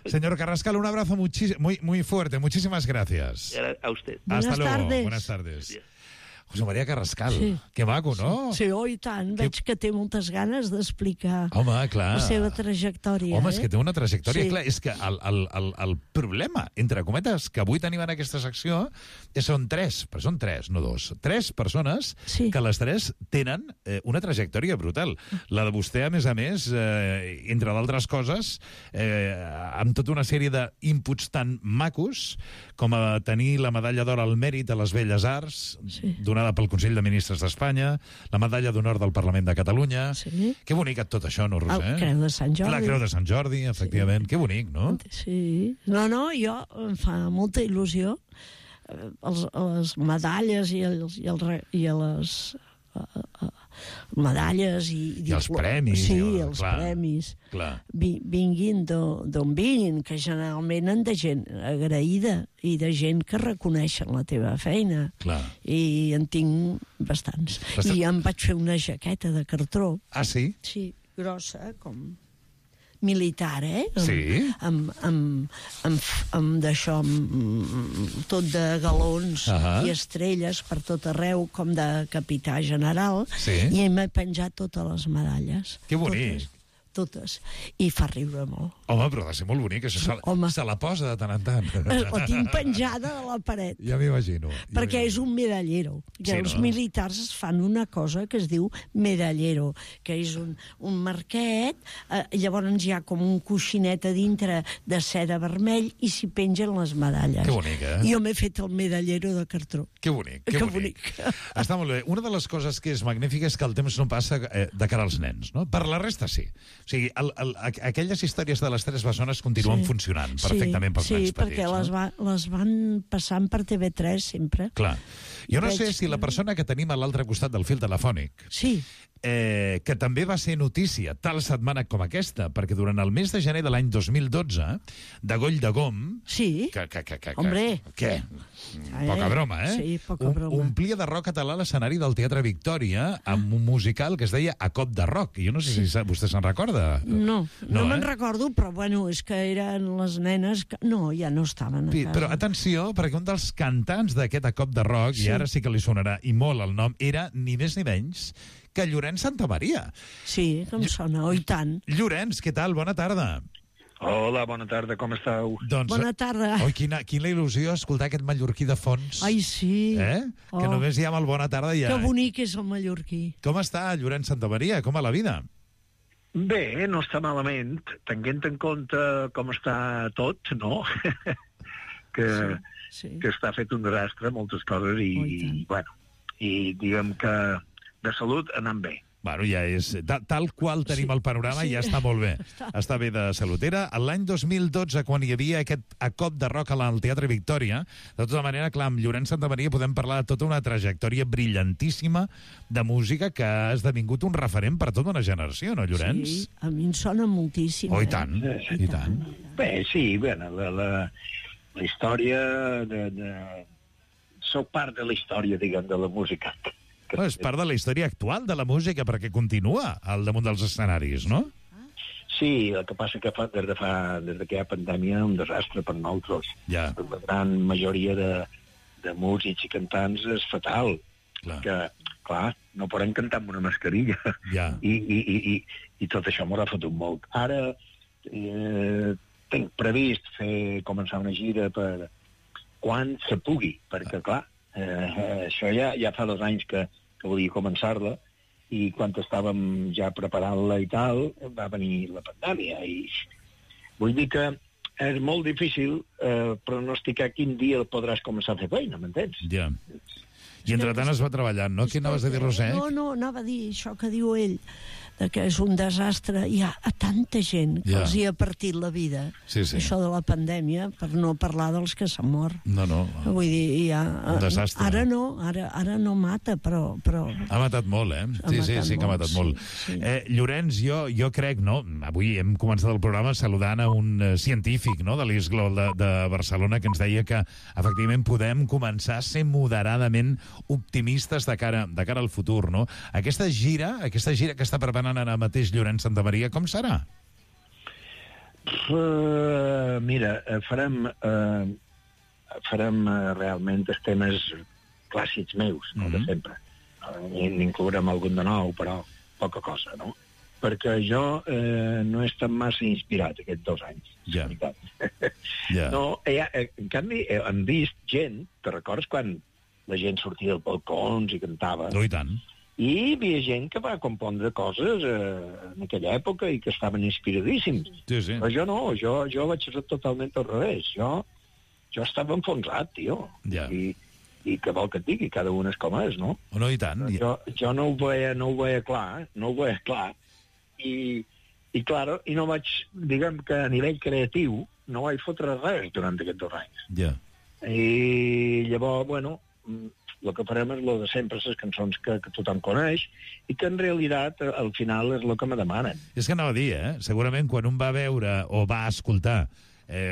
[SPEAKER 10] Señor Carrascal, un abrazo muy fuerte. Muchísimas gracias.
[SPEAKER 12] A usted.
[SPEAKER 10] Hasta luego. Buenas tardes. José María Carrascal, que maco, no?
[SPEAKER 11] Sí, i tant. Veig que té moltes ganes d'explicar la
[SPEAKER 10] seva
[SPEAKER 11] trajectòria.
[SPEAKER 10] Home, és que té una trajectòria, clar, és que el problema, entre cometes, que avui tenim en aquesta secció són 3, però són 3, no 2, 3 persones que les 3 tenen una trajectòria brutal. La de vostè, a més, entre d'altres coses, amb tota una sèrie d'inputs tan macos com a tenir la medalla d'or al mèrit a les Belles Arts, donada pel Consell de Ministres d'Espanya, la medalla d'honor del Parlament de Catalunya. Que bonic tot això, no, Roser?
[SPEAKER 11] La Creu de Sant Jordi.
[SPEAKER 10] La Creu de Sant Jordi, efectivament. Que bonic, no?
[SPEAKER 11] Sí. No, jo em fa molta il·lusió les medalles i les medalles
[SPEAKER 10] i els premis.
[SPEAKER 11] Sí, els premis. Vinguin d'on vinguin, que generalment han de gent agraïda i de gent que reconeixen la teva feina. I en tinc bastants. I em vaig fer una jaqueta de cartró.
[SPEAKER 10] Ah, sí?
[SPEAKER 11] Sí, grossa, com militar,
[SPEAKER 10] Sí.
[SPEAKER 11] Amb d'això, tot de galons i estrelles per tot arreu, com de capità general, i m'he penjat totes les medalles.
[SPEAKER 10] Que bonic.
[SPEAKER 11] Totes. I fa riure molt.
[SPEAKER 10] Home, però ha de ser molt bonic, això se la posa de tant en tant.
[SPEAKER 11] La tinc penjada a la paret.
[SPEAKER 10] Ja m'imagino.
[SPEAKER 11] Perquè és un medallero. Els militars fan una cosa que es diu medallero, que és un marquet, llavors hi ha com un coixinet a dintre de seda vermell i s'hi pengen les medalles.
[SPEAKER 10] Que bonic,
[SPEAKER 11] Jo m'he fet el medallero de cartró.
[SPEAKER 10] Que bonic, que bonic. Està molt bé. Una de les coses que és magnífica és que el temps no passa de cara als nens, no? Per la resta sí. O sigui, aquelles històries de les 3 bessones continuen funcionant perfectament pels nens petits.
[SPEAKER 11] Sí, perquè les van passant per TV3 sempre.
[SPEAKER 10] Clar. Jo no sé si la persona que tenim a l'altre costat del fil telefònic que també va ser notícia tal setmana com aquesta, perquè durant el mes de gener de l'any 2012, de Goll de Gom...
[SPEAKER 11] Sí, hombre.
[SPEAKER 10] Què? Poca broma,
[SPEAKER 11] Sí, poca broma.
[SPEAKER 10] Omplia de rock català l'escenari del Teatre Victòria amb un musical que es deia A Cop de Rock. Jo no sé si vostè se'n recorda.
[SPEAKER 11] No me'n recordo, però bueno, és que eren les nenes que... No, ja no estaven a casa.
[SPEAKER 10] Però atenció, perquè un dels cantants d'aquest A Cop de Rock, i ara sí que li sonarà i molt el nom, era ni més ni menys que Llorenç Santamaria.
[SPEAKER 11] Sí, com sona, oi tant.
[SPEAKER 10] Llorenç, què tal? Bona tarda.
[SPEAKER 13] Hola, bona tarda, com esteu?
[SPEAKER 10] Doncs,
[SPEAKER 11] bona tarda.
[SPEAKER 10] Oi, quina il·lusió escoltar aquest mallorquí de fons.
[SPEAKER 11] Ai, sí.
[SPEAKER 10] Que només hi ha el bona tarda i ja...
[SPEAKER 11] Que bonic és el mallorquí.
[SPEAKER 10] Com està Llorenç Santamaria? Com va la vida?
[SPEAKER 13] Bé, no està malament, tenint en compte com està tot, no? que està fet un desastre, moltes coses, i diguem que de salut anant bé.
[SPEAKER 10] Bueno, ja és... Tal qual tenim el panorama, ja està molt bé. Està bé de salut. Era l'any 2012, quan hi havia aquest A Cop de Rock al Teatre Victòria. De tota manera, clar, amb Llorenç Santamaria podem parlar de tota una trajectòria brillantíssima de música que ha esdevingut un referent per tota una generació, no, Llorenç?
[SPEAKER 11] Sí, a mi em sona moltíssim.
[SPEAKER 10] Oh, i tant, i tant.
[SPEAKER 13] Bé, sí, la història Soc part de la història, diguem, de la música.
[SPEAKER 10] És part de la història actual de la música, perquè continua al damunt dels escenaris, no?
[SPEAKER 13] Sí, el que passa que des que hi ha pandèmia, un desastre per nosaltres.
[SPEAKER 10] La
[SPEAKER 13] gran majoria de músics i cantants és fatal. Que, clar, no podem cantar amb una mascarilla. I tot això m'ho ha fotut molt. Ara tinc previst començar una gira per quan se pugui, perquè, clar, això ja fa 2 anys que volia començar-la, i quan estàvem ja preparant-la i tal, va venir la pandèmia. I vull dir que és molt difícil pronosticar quin dia podràs començar a fer feina, m'entens?
[SPEAKER 10] Ja. I entretant es va treballant, no? Què anaves a dir, Roser?
[SPEAKER 11] No, anava a dir això que diu ell, que és un desastre. Hi ha tanta gent que els hi ha partit la vida.
[SPEAKER 10] Sí.
[SPEAKER 11] Això de la pandèmia, per no parlar dels que s'han mort.
[SPEAKER 10] No.
[SPEAKER 11] Vull dir,
[SPEAKER 10] un desastre.
[SPEAKER 11] Ara no mata, però...
[SPEAKER 10] Ha matat molt, Sí que ha matat molt. Sí. Llorenç, jo crec, no? Avui hem començat el programa saludant a un científic, no?, de l'ISGLO de Barcelona, que ens deia que, efectivament, podem començar a ser moderadament optimistes de cara al futur, no? Aquesta gira que està preparant ara mateix Llorenç Santamaria, com serà?
[SPEAKER 13] Mira, farem realment els temes clàssics meus, com de sempre. N'inclourem algun de nou, però poca cosa, no? Perquè jo no he estat massa inspirat aquests 2 anys.
[SPEAKER 10] Ja.
[SPEAKER 13] No, en canvi, hem vist gent, te recordes quan la gent sortia dels balcons i cantava?
[SPEAKER 10] No, i tant.
[SPEAKER 13] I hi havia gent que va compondre coses en aquella època i que estaven inspiradíssims.
[SPEAKER 10] Sí.
[SPEAKER 13] Però jo no, jo vaig ser totalment al revés. Jo estava enfonsat, tio.
[SPEAKER 10] Ja.
[SPEAKER 13] I què vol que et digui? Cada un és com és, no?
[SPEAKER 10] No, i tant.
[SPEAKER 13] Jo no ho veia clar. I claro, i no vaig, diguem que a nivell creatiu, no vaig fotre res durant aquests 2 anys.
[SPEAKER 10] Ja.
[SPEAKER 13] I llavors, bueno, el que farem és el de sempre, les cançons que tothom coneix, i que en realitat al final és el que me demanen.
[SPEAKER 10] És que anava a dir, segurament quan un va veure o va escoltar,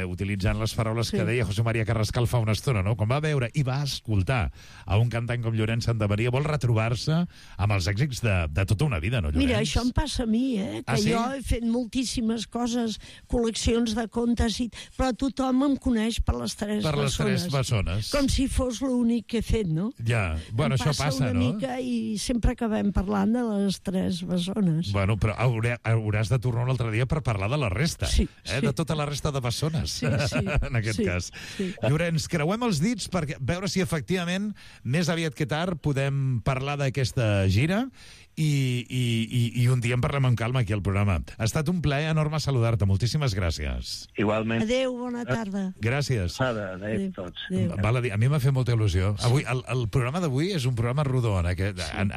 [SPEAKER 10] utilitzant les paraules que deia José María Carrascal fa una estona, no? Quan va veure i va escoltar a un cantant com Llorenç Santamaria, vol retrobar-se amb els èxits de tota una vida, no, Llorenç?
[SPEAKER 11] Mira, això em passa a mi, que jo he fet moltíssimes coses, col·leccions de contes, però tothom em coneix per les 3 bessones.
[SPEAKER 10] Per les 3 bessones.
[SPEAKER 11] Com si fos l'únic que he fet, no?
[SPEAKER 10] Ja, bueno, això passa,
[SPEAKER 11] no? Em passa una mica i sempre acabem parlant de les 3 bessones.
[SPEAKER 10] Bueno, però hauràs de tornar un altre dia per parlar de la resta, de tota la resta de bessones. Sí, en aquest cas.
[SPEAKER 11] Sí.
[SPEAKER 10] Llorenç, creuem els dits per veure si efectivament més aviat que tard podem parlar d'aquesta gira i un dia en parlem amb calma aquí al programa. Ha estat un plaer enorme saludar-te. Moltíssimes gràcies.
[SPEAKER 13] Igualment.
[SPEAKER 11] Adéu, bona tarda.
[SPEAKER 10] Gràcies.
[SPEAKER 13] Adéu tots.
[SPEAKER 10] Val a dir, a mi m'ha fet molta il·lusió. Avui, el programa d'avui és un programa rodó en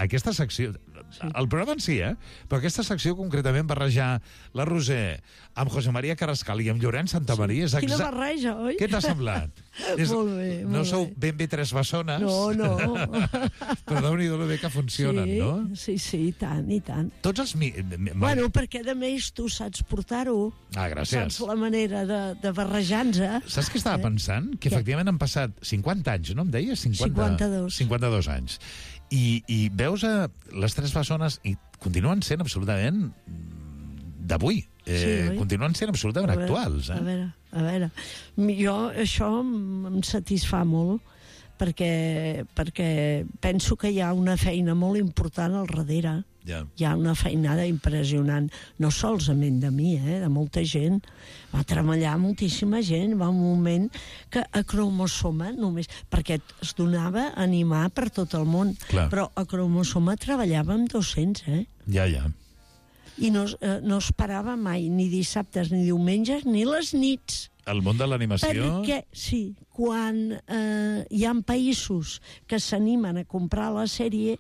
[SPEAKER 10] aquesta secció. El programa en si, però aquesta secció concretament barrejar la Roser amb José María Carrascal i amb Llorenç Santamaria.
[SPEAKER 11] Quina barreja, oi?
[SPEAKER 10] Què t'ha semblat?
[SPEAKER 11] Molt bé.
[SPEAKER 10] No sou ben bé 3 bessones.
[SPEAKER 11] No.
[SPEAKER 10] Però Déu-n'hi-do lo bé que funcionen, no?
[SPEAKER 11] Sí, i tant.
[SPEAKER 10] Tots els...
[SPEAKER 11] Bueno, perquè a més tu saps portar-ho.
[SPEAKER 10] Ah, gràcies.
[SPEAKER 11] Saps la manera de barrejar-nos.
[SPEAKER 10] Saps què estava pensant? Que efectivament han passat 50 anys, no em deies? 52 anys. I veus les 3 bessones i continuen sent absolutament d'avui. Continuen sent absolutament actuals.
[SPEAKER 11] A veure. Jo això em satisfà molt perquè penso que hi ha una feina molt important al darrere. Hi ha una feinada impressionant, no solament de mi, de molta gent. Va treballar moltíssima gent, va un moment que a Cromosoma només, perquè es donava a animar per tot el món, però a Cromosoma treballàvem 200,
[SPEAKER 10] Ja.
[SPEAKER 11] I no es parava mai, ni dissabtes, ni diumenges, ni les nits.
[SPEAKER 10] El món de l'animació...
[SPEAKER 11] Perquè, quan hi ha països que s'animen a comprar la sèrie,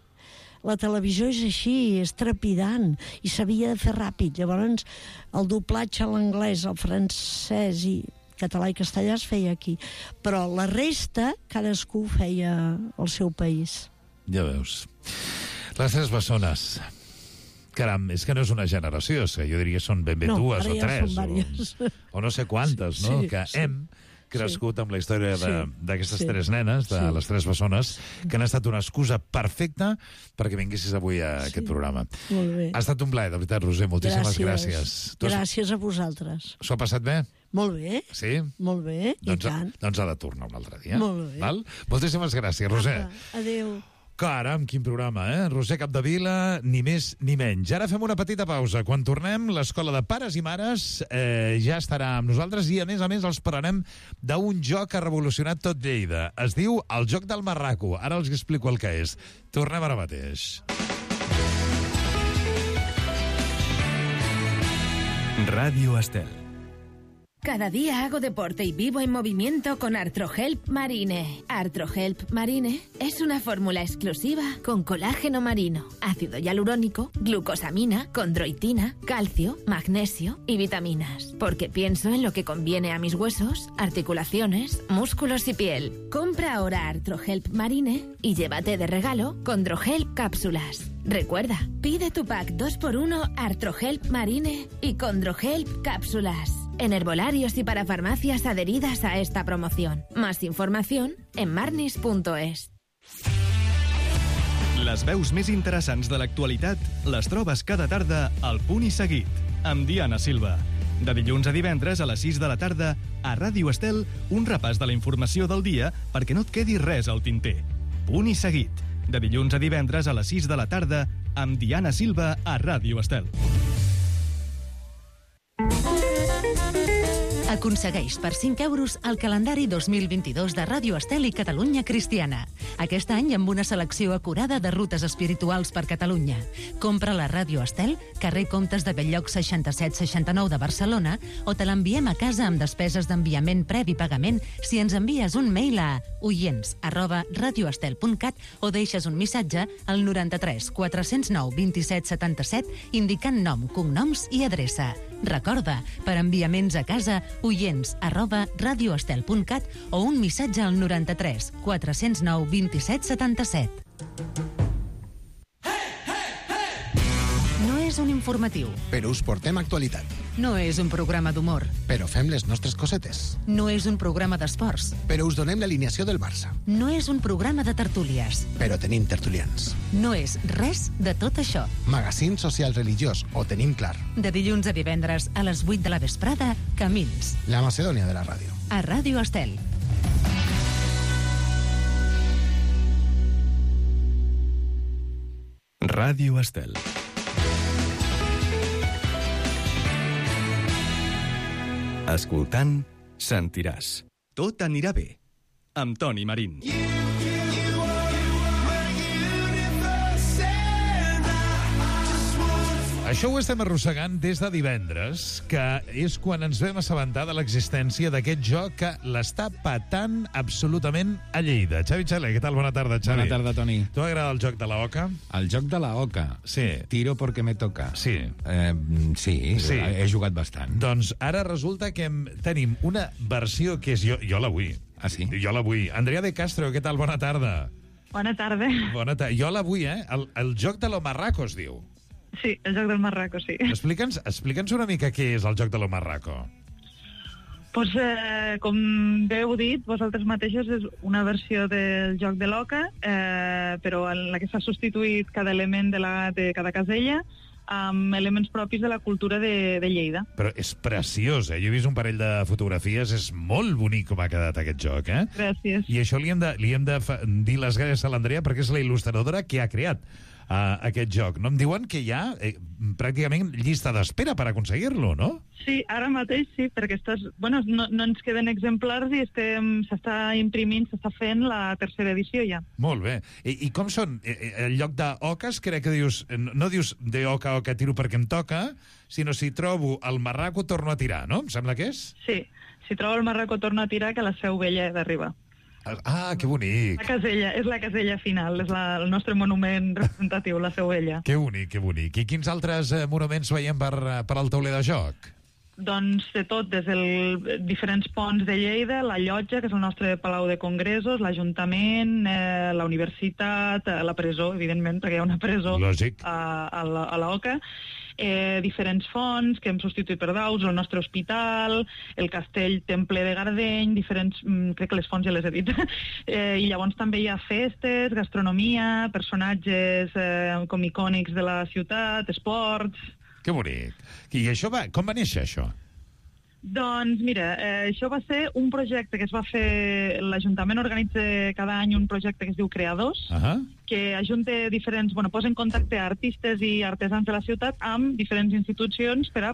[SPEAKER 11] la televisió és així, és trepidant, i s'havia de fer ràpid. Llavors, el doblatge a l'anglès, al francès i català i castellà es feia aquí. Però la resta, cadascú feia al seu país.
[SPEAKER 10] Ja veus. Les 3 bessones... Caram, és que no és una generació, jo diria que són ben bé 2 o 3, o no sé quantes, no? Que hem crescut amb la història d'aquestes 3 nenes, de les 3 bessones, que han estat una excusa perfecta perquè vinguessis avui a aquest programa.
[SPEAKER 11] Molt bé.
[SPEAKER 10] Ha estat un plaer, de veritat, Roser, moltíssimes gràcies.
[SPEAKER 11] Gràcies a vosaltres.
[SPEAKER 10] S'ho ha passat bé?
[SPEAKER 11] Molt bé.
[SPEAKER 10] Sí?
[SPEAKER 11] Molt bé, i tant.
[SPEAKER 10] Doncs ha de tornar un altre dia.
[SPEAKER 11] Molt bé.
[SPEAKER 10] Moltíssimes gràcies, Roser.
[SPEAKER 11] Adéu.
[SPEAKER 10] Caram, quin programa, Roser Capdevila, ni més ni menys. Ara fem una petita pausa. Quan tornem, l'Escola de Pares i Mares ja estarà amb nosaltres i, a més, els parlarem d'un joc que ha revolucionat tot Lleida. Es diu el Joc del Marraco. Ara els explico el que és. Tornem ara mateix.
[SPEAKER 1] Ràdio Estel.
[SPEAKER 14] Cada día hago deporte y vivo en movimiento con Arthrohelp Marine. Arthrohelp Marine es una fórmula exclusiva con colágeno marino, ácido hialurónico, glucosamina, condroitina, calcio, magnesio y vitaminas. Porque pienso en lo que conviene a mis huesos, articulaciones, músculos y piel. Compra ahora Arthrohelp Marine y llévate de regalo Condrohelp cápsulas. Recuerda, pide tu pack 2x1 Arthrohelp Marine y Condrohelp cápsulas en herbolarios y para farmacias adheridas a esta promoción. Más información en marnis.es.
[SPEAKER 1] Les veus més interessants de l'actualitat les trobes cada tarda al Punt i Seguit, amb Diana Silva. De dilluns a divendres a les 6 de la tarda, a Ràdio Estel, un repàs de la informació del dia perquè no et quedi res al tinter. Punt i Seguit, de dilluns a divendres a les 6 de la tarda, amb Diana Silva a Ràdio Estel.
[SPEAKER 6] Aconsegueix per 5 euros el calendari 2022 de Ràdio Estel i Catalunya Cristiana. Aquest any amb una selecció acurada de rutes espirituals per Catalunya. Compra la Ràdio Estel, carrer Comtes de Belllloc 6769 de Barcelona, o te l'enviem a casa amb despeses d'enviament previ pagament si ens envies un mail a oients@radioestel.cat o deixes un missatge al 93 409 27 77 indicant nom, cognoms i adreça. Recorda, per enviaments a casa, oients@radioestel.cat o un missatge al 93 409 27 77. No és un informatiu.
[SPEAKER 15] Però us portem actualitat.
[SPEAKER 6] No és un programa d'humor.
[SPEAKER 15] Però fem les nostres cosetes.
[SPEAKER 6] No és un programa d'esports.
[SPEAKER 15] Però us donem l'alineació del Barça.
[SPEAKER 6] No és un programa de tertúlies.
[SPEAKER 15] Però tenim tertulians.
[SPEAKER 6] No és res de tot això.
[SPEAKER 15] Magazín social religiós, ho tenim clar.
[SPEAKER 6] De dilluns a divendres a les 8 de la vesprada, Camins.
[SPEAKER 15] La Macedònia de la ràdio.
[SPEAKER 6] A Ràdio Estel.
[SPEAKER 1] Ràdio Estel. Escoltant, sentiràs. Tot anirà bé. Amb Toni Marín.
[SPEAKER 10] Això ho estem arrossegant des de divendres, que és quan ens vam assabentar de l'existència d'aquest joc que l'està patant absolutament a Lleida. Xavi Xaler, què tal? Bona tarda, Xavi.
[SPEAKER 16] Bona tarda, Toni.
[SPEAKER 10] Tu t'agrada el joc de la oca?
[SPEAKER 16] El joc de la oca?
[SPEAKER 10] Sí.
[SPEAKER 16] Tiro porque me toca.
[SPEAKER 10] Sí.
[SPEAKER 16] Sí, he jugat bastant.
[SPEAKER 10] Doncs ara resulta que tenim una versió que és... Jo la vull.
[SPEAKER 16] Ah, sí?
[SPEAKER 10] Jo la vull. Andrea de Castro, què tal? Bona tarda.
[SPEAKER 17] Bona tarda.
[SPEAKER 10] Bona tarda. Jo la vull, eh? El joc de lo marraco es diu.
[SPEAKER 17] Sí, el joc del marraco, sí.
[SPEAKER 10] Explica'ns una mica què és el joc de lo marraco.
[SPEAKER 17] Pues, com bé heu dit, vosaltres mateixos és una versió del joc de l'oca, però en la que s'ha substituït cada element de cada casella amb elements propis de la cultura de Lleida.
[SPEAKER 10] Però és preciós, eh? Jo he vist un parell de fotografies, és molt bonic com ha quedat aquest joc, eh?
[SPEAKER 17] Gràcies.
[SPEAKER 10] I això li hem de dir les gràcies a l'Andrea perquè és la il·lustradora que ha creat aquest joc. No em diuen que hi ha pràcticament llista d'espera per aconseguir-lo, no?
[SPEAKER 17] Sí, ara mateix sí, perquè no ens queden exemplars i s'està imprimint, s'està fent la tercera edició ja.
[SPEAKER 10] Molt bé. I com són? El lloc d'oques, crec que dius, no dius de oca tiro perquè em toca, sinó si trobo el marraco torno a tirar, no? Em sembla que és?
[SPEAKER 17] Sí, si trobo el marraco torno a tirar, que la seu vella d'arribar.
[SPEAKER 10] Ah, que bonic.
[SPEAKER 17] És la casella final, és el nostre monument representatiu, la seu vella.
[SPEAKER 10] Que bonic, que bonic. I quins altres monuments veiem per al tauler de joc?
[SPEAKER 17] Doncs de tot, des dels diferents ponts de Lleida, la llotja, que és el nostre palau de congressos, l'Ajuntament, la universitat, la presó, evidentment, perquè hi ha una presó a l'Oca, diferents fonts que hem substituït per daus, el nostre hospital, el castell Temple de Gardeny, crec que les fonts ja les he dit, i llavors també hi ha festes, gastronomia, personatges com icònics de la ciutat, esports...
[SPEAKER 10] Que bonic. I això com va néixer, això?
[SPEAKER 17] Doncs mira, això va ser un projecte que es va fer... L'Ajuntament organitza cada any un projecte que es diu Creadors, que ajunta posa en contacte artistes i artesans de la ciutat amb diferents institucions per a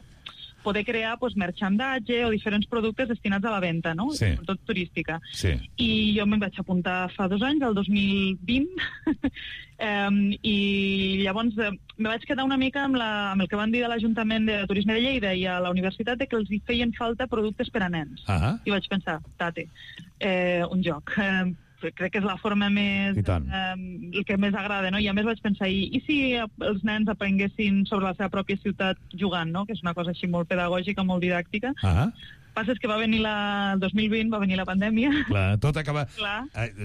[SPEAKER 17] poder crear merchandatge o diferents productes destinats a la venda, no?
[SPEAKER 10] Sí.
[SPEAKER 17] Sobretot turística.
[SPEAKER 10] Sí.
[SPEAKER 17] I jo me'n vaig apuntar fa 2 anys, el 2020, i llavors me vaig quedar una mica amb el que van dir de l'Ajuntament de Turisme de Lleida i a la universitat de que els hi feien falta productes per a nens. I vaig pensar, un joc. Crec que és la forma més... el que més agrada, no? I a més vaig pensar, i si els nens aprenguessin sobre la seva pròpia ciutat jugant, no? Que és una cosa així molt pedagògica, molt didàctica. Passa és que va venir el 2020, va venir la pandèmia.
[SPEAKER 10] Clar, tot acaba...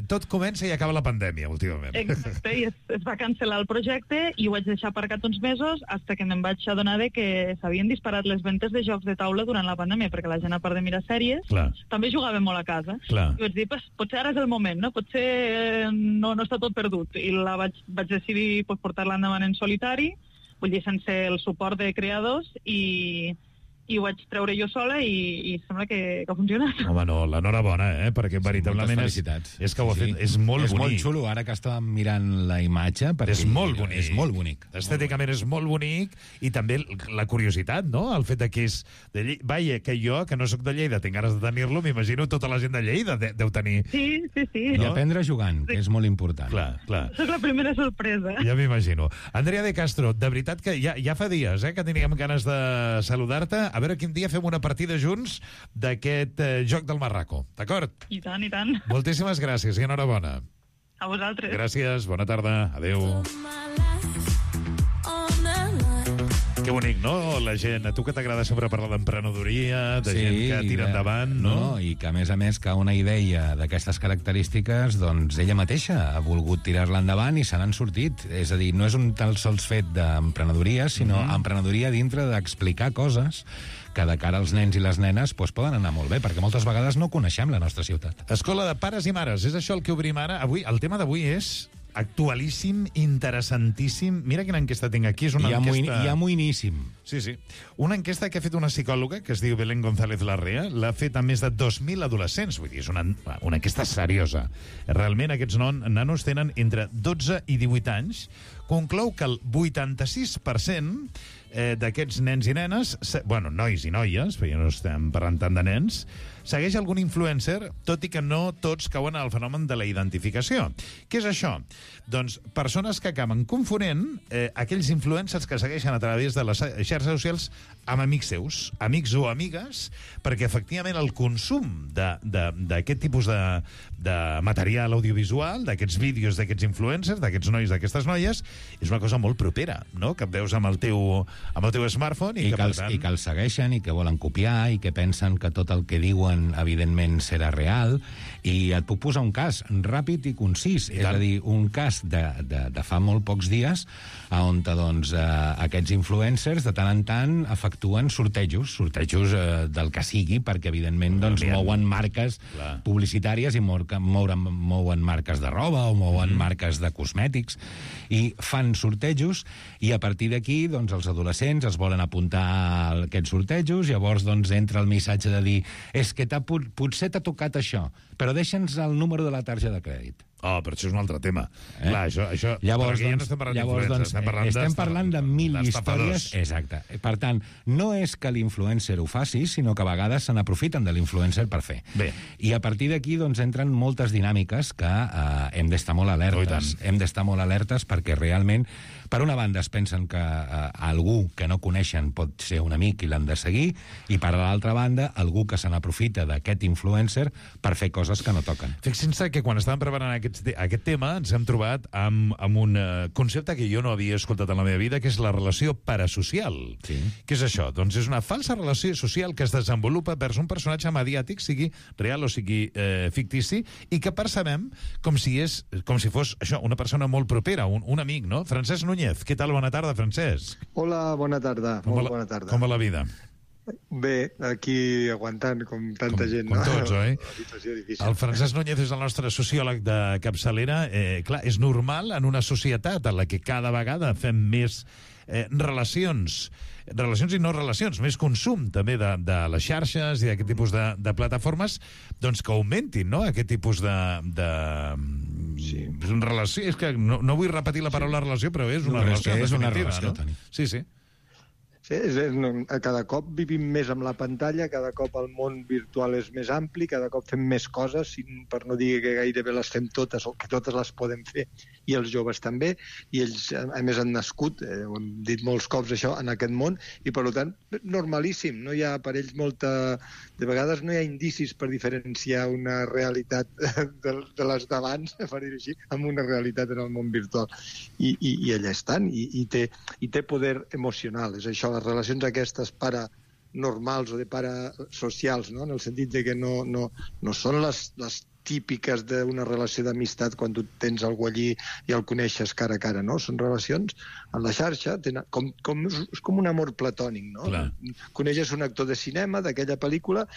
[SPEAKER 10] Tot comença i acaba la pandèmia, últimament.
[SPEAKER 17] Exacte, i es va cancel·lar el projecte i ho vaig deixar aparcat uns mesos fins que me'n vaig adonar que s'havien disparat les ventes de jocs de taula durant la pandèmia, perquè la gent, a part de mirar sèries, també jugava molt a casa. I vaig dir, potser ara és el moment, no? Potser no està tot perdut. I vaig decidir portar-la endavant en solitari, vull dir, sense el suport de creadors, i ho vaig treure jo sola i sembla que ha funcionat.
[SPEAKER 10] Home, no, l'enhorabona, perquè veritablement és que ho ha fet, és molt bonic.
[SPEAKER 16] És molt xulo, ara que estàvem mirant la imatge, perquè
[SPEAKER 10] és molt bonic.
[SPEAKER 16] És molt bonic.
[SPEAKER 10] Estèticament és molt bonic, i també la curiositat, no?, el fet que és de Lleida. Vaja, que jo, que no sóc de Lleida, tinc ganes de tenir-lo, m'imagino tota la gent de Lleida deu tenir...
[SPEAKER 17] Sí.
[SPEAKER 16] I aprendre jugant, que és molt important.
[SPEAKER 10] Clar.
[SPEAKER 17] Soc la primera sorpresa.
[SPEAKER 10] Ja m'imagino. Andrea de Castro, de veritat que ja fa dies que teníem ganes de saludar-te. A veure quin dia fem una partida junts d'aquest joc del Marraco, d'acord?
[SPEAKER 17] I tant.
[SPEAKER 10] Moltíssimes gràcies i enhorabona.
[SPEAKER 17] A vosaltres.
[SPEAKER 10] Gràcies, bona tarda, adeu. Que bonic, no? La gent, a tu que t'agrada sempre parlar d'emprenedoria, de gent que tira endavant, no?
[SPEAKER 16] I que, a més, que una idea d'aquestes característiques, doncs ella mateixa ha volgut tirar-la endavant i se n'han sortit. És a dir, no és un tan sols fet d'emprenedoria, sinó emprenedoria dintre d'explicar coses que de cara als nens i les nenes poden anar molt bé, perquè moltes vegades no coneixem la nostra ciutat.
[SPEAKER 10] Escola de pares i mares, és això el que obrim ara. Avui, el tema d'avui és actualíssim, interessantíssim. Mira quina enquesta tinc aquí. És una enquesta...
[SPEAKER 16] Ja moïníssim.
[SPEAKER 10] Sí. Una enquesta que ha fet una psicòloga que es diu Belén González Larrea, l'ha fet a més de 2.000 adolescents. Vull dir, és una enquesta seriosa. Realment, aquests nanos tenen entre 12 i 18 anys. Conclou que el 86% d'aquests nens i nenes, nois i noies, perquè no estem parlant tant de nens, segueix algun influencer, tot i que no tots cauen al fenomen de la identificació. Què és això? Doncs persones que acaben confonent aquells influencers que segueixen a través de les xarxes socials amb amics seus, amics o amigues, perquè efectivament el consum d'aquest tipus de material audiovisual, d'aquests vídeos d'aquests influencers, d'aquests nois, d'aquestes noies, és una cosa molt propera, no?, que et veus amb el teu smartphone i
[SPEAKER 16] que els segueixen i que volen copiar i que pensen que tot el que diuen evidentment serà real. I et puc posar un cas ràpid i concís, és a dir, un cas de fa molt pocs dies on aquests influencers de tant en tant efectuen sortejos del que sigui, perquè evidentment mouen marques publicitàries i mouen marques de roba o mouen marques de cosmètics i fan sortejos, i a partir d'aquí els adolescents es volen apuntar a aquests sortejos. Llavors entra el missatge de dir és que potser t'ha tocat això, però deixa'ns el número de la targeta de crèdit.
[SPEAKER 10] Però això és un altre tema. Clar, això...
[SPEAKER 16] Llavors,
[SPEAKER 10] ja no estem parlant d'influencers,
[SPEAKER 16] estem parlant de mil històries. Exacte. Per tant, no és que l'influencer ho faci, sinó que a vegades se n'aprofiten de l'influencer per fer.
[SPEAKER 10] Bé.
[SPEAKER 16] I a partir d'aquí entren moltes dinàmiques que hem d'estar molt alertes. Hem d'estar molt alertes perquè realment, per una banda, es pensen que algú que no coneixen pot ser un amic i l'han de seguir, i per l'altra banda, algú que se n'aprofita d'aquest influencer per fer coses que no toquen.
[SPEAKER 10] Fixin-se que quan estàvem preparant aquest tema ens hem trobat amb un concepte que jo no havia escoltat en la meva vida, que és la relació parasocial.
[SPEAKER 16] Sí.
[SPEAKER 10] Què és això? Doncs és una falsa relació social que es desenvolupa vers un personatge mediàtic, sigui real o sigui fictici, i que percebem com si fos això, una persona molt propera, un amic, no? Francesc Núñez, què tal? Bona tarda, Francesc.
[SPEAKER 18] Hola, bona tarda. Bona tarda.
[SPEAKER 10] Com va la vida?
[SPEAKER 18] Bé, aquí aguantant com tanta gent.
[SPEAKER 10] Com tots, oi?
[SPEAKER 18] Una situació difícil.
[SPEAKER 10] El Francesc Núñez és el nostre sociòleg de capçalera. Clar, és normal en una societat en la que cada vegada fem més relacions i no relacions, més consum també de les xarxes i d'aquest tipus de plataformes, doncs que augmentin, no?, aquest tipus de relació. És que no vull repetir la paraula relació, però és una relació.
[SPEAKER 16] És una relació,
[SPEAKER 10] no? Sí.
[SPEAKER 18] Sí, cada cop vivim més amb la pantalla, cada cop el món virtual és més ampli, cada cop fem més coses, per no dir que gairebé les fem totes o que totes les podem fer, i els joves també, i ells, a més, han nascut, ho hem dit molts cops això, en aquest món, i per tant, normalíssim, no hi ha per ells de vegades no hi ha indicis per diferenciar una realitat de les d'abans, per dir-ho així, amb una realitat en el món virtual. I allà estan, i té poder emocional, és això, les relacions aquestes paranormals o de parasocials, no? En el sentit de que no són les típiques d'una relació d'amistat quan tu tens algú allí i el coneixes cara a cara, no? Són relacions en la xarxa, és com un amor platònic, no? Clar. Coneixes un actor de cinema d'aquella pel·lícula,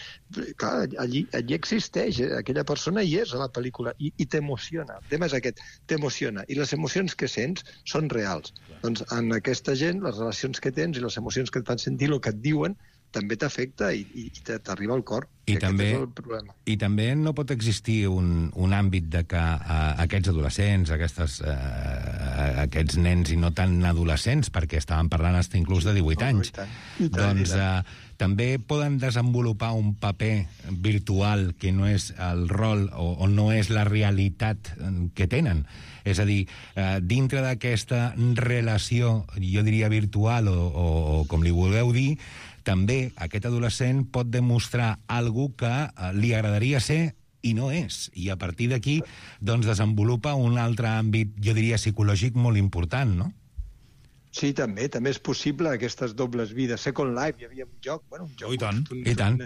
[SPEAKER 18] clar, allí existeix, aquella persona hi és a la pel·lícula i t'emociona. El tema és aquest, t'emociona. I les emocions que sents són reals. Clar. Doncs en aquesta gent, les relacions que tens i les emocions que et fan sentir, el que et diuen, també t'afecta i t'arriba al cor. I
[SPEAKER 16] també no pot existir un àmbit de que aquests adolescents, aquests nens i no tan adolescents, perquè estàvem parlant fins inclús de 18 anys, doncs també poden desenvolupar un paper virtual que no és el rol o no és la realitat que tenen. És a dir, dintre d'aquesta relació, jo diria virtual o com li vulgueu dir, també aquest adolescent pot demostrar alguna que li agradaria ser i no és. I a partir d'aquí doncs, desenvolupa un altre àmbit, jo diria, psicològic molt important, no?
[SPEAKER 18] Sí, també és possible aquestes dobles vides. Second Life, hi havia un joc, un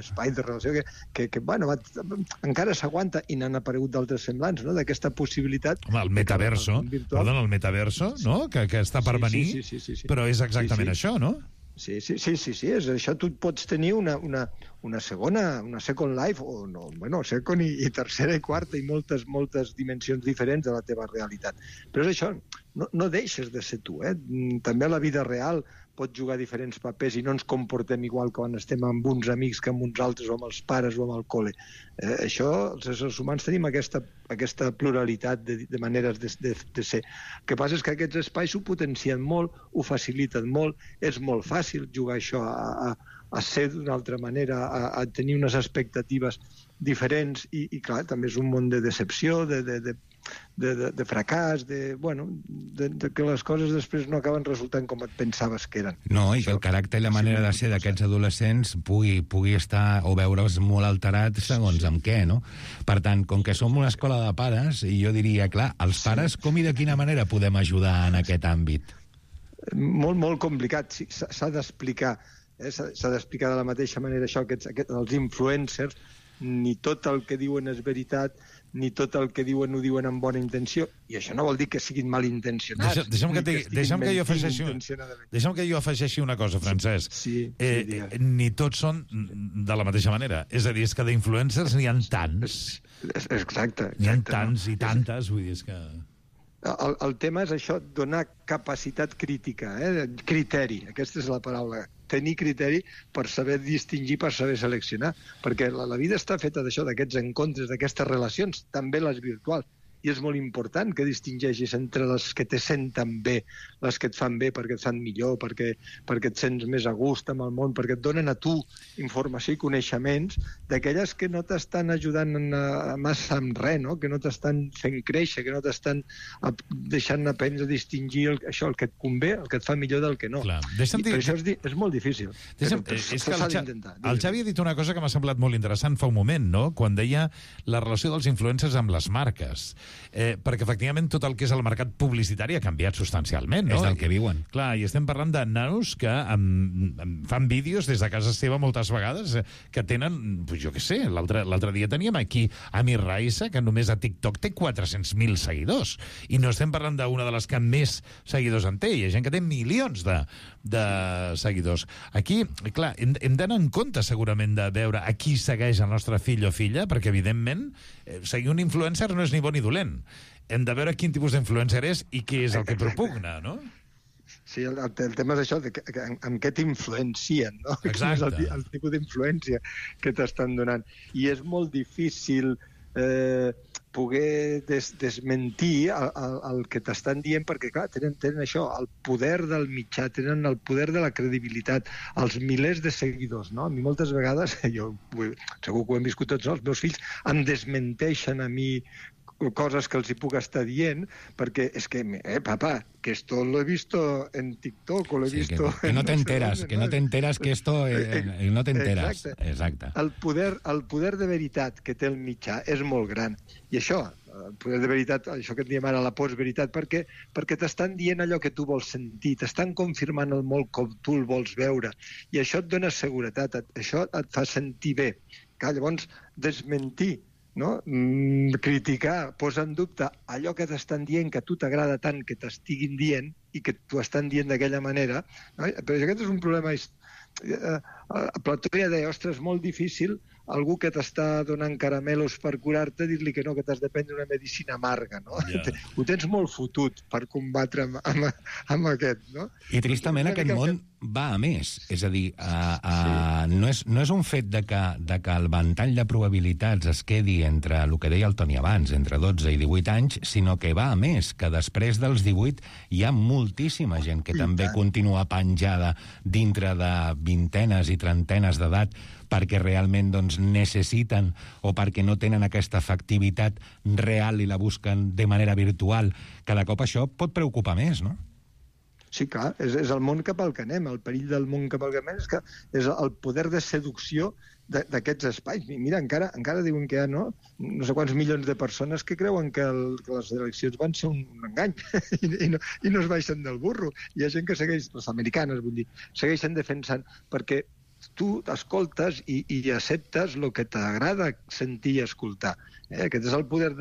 [SPEAKER 18] espai de relació que encara s'aguanta i n'han aparegut d'altres semblants, no? D'aquesta possibilitat...
[SPEAKER 10] Home, el metaverso, no? Que està per venir, però és exactament això, no?
[SPEAKER 18] Sí, és això. Tu pots tenir una second life, o no, second i tercera i quarta, i moltes dimensions diferents de la teva realitat. Però és això, no deixes de ser tu, eh? També a la vida real pots jugar diferents papers i no ens comportem igual quan estem amb uns amics que amb uns altres, o amb els pares o amb el col·le. Això, els éssers humans tenim aquesta pluralitat de maneres de ser. El que passa és que aquests espais ho potencien molt, ho faciliten molt, és molt fàcil jugar això a ser d'una altra manera, a tenir unes expectatives diferents, i clar, també és un món de decepció, de fracàs, que les coses després no acaben resultant com et pensaves que eren.
[SPEAKER 16] No, i que el caràcter i la manera de ser d'aquests adolescents pugui estar o veure's molt alterat segons amb què, no? Per tant, com que som una escola de pares, i jo diria, clar, els pares com i de quina manera podem ajudar en aquest àmbit?
[SPEAKER 18] Molt, molt complicat. S'ha d'explicar. S'ha d'explicar de la mateixa manera això, els influencers, ni tot el que diuen és veritat, ni tot el que diuen ho diuen amb bona intenció, i això no vol dir que siguin malintencionats.
[SPEAKER 10] Deixa'm que jo afegeixi una cosa, Francesc. Ni tots són de la mateixa manera. És a dir, és que d'influencers n'hi ha tants.
[SPEAKER 18] Exacte.
[SPEAKER 10] N'hi ha tants i tantes, vull dir, és que...
[SPEAKER 18] El tema és això, donar capacitat crítica, criteri, aquesta és la paraula, tenir criteri per saber distingir, per saber seleccionar, perquè la vida està feta d'això, d'aquests encontres, d'aquestes relacions, també les virtuals, i és molt important que distingeixis entre les que te senten bé, les que et fan bé perquè et fan millor, perquè et sents més a gust amb el món, perquè et donen a tu informació i coneixements d'aquelles que no t'estan ajudant massa amb res, no? Que no t'estan fent créixer, que no t'estan deixant aprendre a distingir el que et convé, el que et fa millor del que no. I per això és molt difícil.
[SPEAKER 10] És que el Xavi ha dit una cosa que m'ha semblat molt interessant fa un moment, no? Quan deia la relació dels influencers amb les marques. Perquè efectivament tot el que és el mercat publicitari ha canviat substancialment, no?
[SPEAKER 16] És del que viuen.
[SPEAKER 10] Clar, i estem parlant de nanos que fan vídeos des de casa seva moltes vegades que tenen, jo què sé, l'altre dia teníem aquí Amir Raissa, que només a TikTok té 400.000 seguidors, i no estem parlant d'una de les que més seguidors en té, hi ha gent que té milions de seguidors. Aquí, clar, hem d'anar en compte segurament de veure a qui segueix el nostre fill o filla, perquè evidentment seguir un influencer no és ni bo ni dolent. Hem de veure quin tipus d'influencer és i què és el que propugna, no?
[SPEAKER 18] Sí, el tema és això, amb què t'influencien, no?
[SPEAKER 10] Exacte.
[SPEAKER 18] El tipus d'influència que t'estan donant. I és molt difícil poder desmentir el que t'estan dient, perquè, clar, tenen això, el poder del mitjà, tenen el poder de la credibilitat, els milers de seguidors, no? A mi moltes vegades, segur que ho hem viscut tots, no? Els meus fills em desmenteixen a mi coses que els hi puc estar dient, perquè és que, papá, que esto lo he visto en TikTok o lo he visto...
[SPEAKER 16] Que no te enteras, que no te enteras que esto... no te enteras. Exacte.
[SPEAKER 18] El poder de veritat que té el mitjà és molt gran. I això, el poder de veritat, això que en diem ara la postveritat, perquè t'estan dient allò que tu vols sentir, t'estan confirmant el molt com tu el vols veure, i això et dona seguretat, això et fa sentir bé. Llavors, desmentir, no? Criticar, posar en dubte allò que t'estan dient, que a tu t'agrada tant que t'estiguin dient i que t'ho estan dient d'aquella manera, no? Però aquest és un problema... Plató ja deia, ostres, molt difícil algú que t'està donant caramelos per curar-te, dir-li que no, que t'has de prendre una medicina amarga, no? Ho tens molt fotut per combatre amb aquest, no?
[SPEAKER 16] I tristament aquest món va a més. És a dir, no és un fet de que el ventall de probabilitats es quedi entre el que deia el Toni abans, entre 12 i 18 anys, sinó que va a més, que després dels 18 hi ha moltíssima gent que també continua penjada dintre de vintenes i trentenes d'edat perquè realment necessiten o perquè no tenen aquesta efectivitat real i la busquen de manera virtual. Cada cop això pot preocupar més, no?
[SPEAKER 18] Sí, clar, és el món cap al que anem. El perill del món cap al que anem és el poder de seducció d'aquests espais. Mira, encara diuen que hi ha no sé quants milions de persones que creuen que les eleccions van ser un engany i no es baixen del burro. Hi ha gent que segueix, les americanes, vull dir, segueixen defensant, perquè tu escoltes i acceptes el que t'agrada sentir i escoltar. Aquest és el poder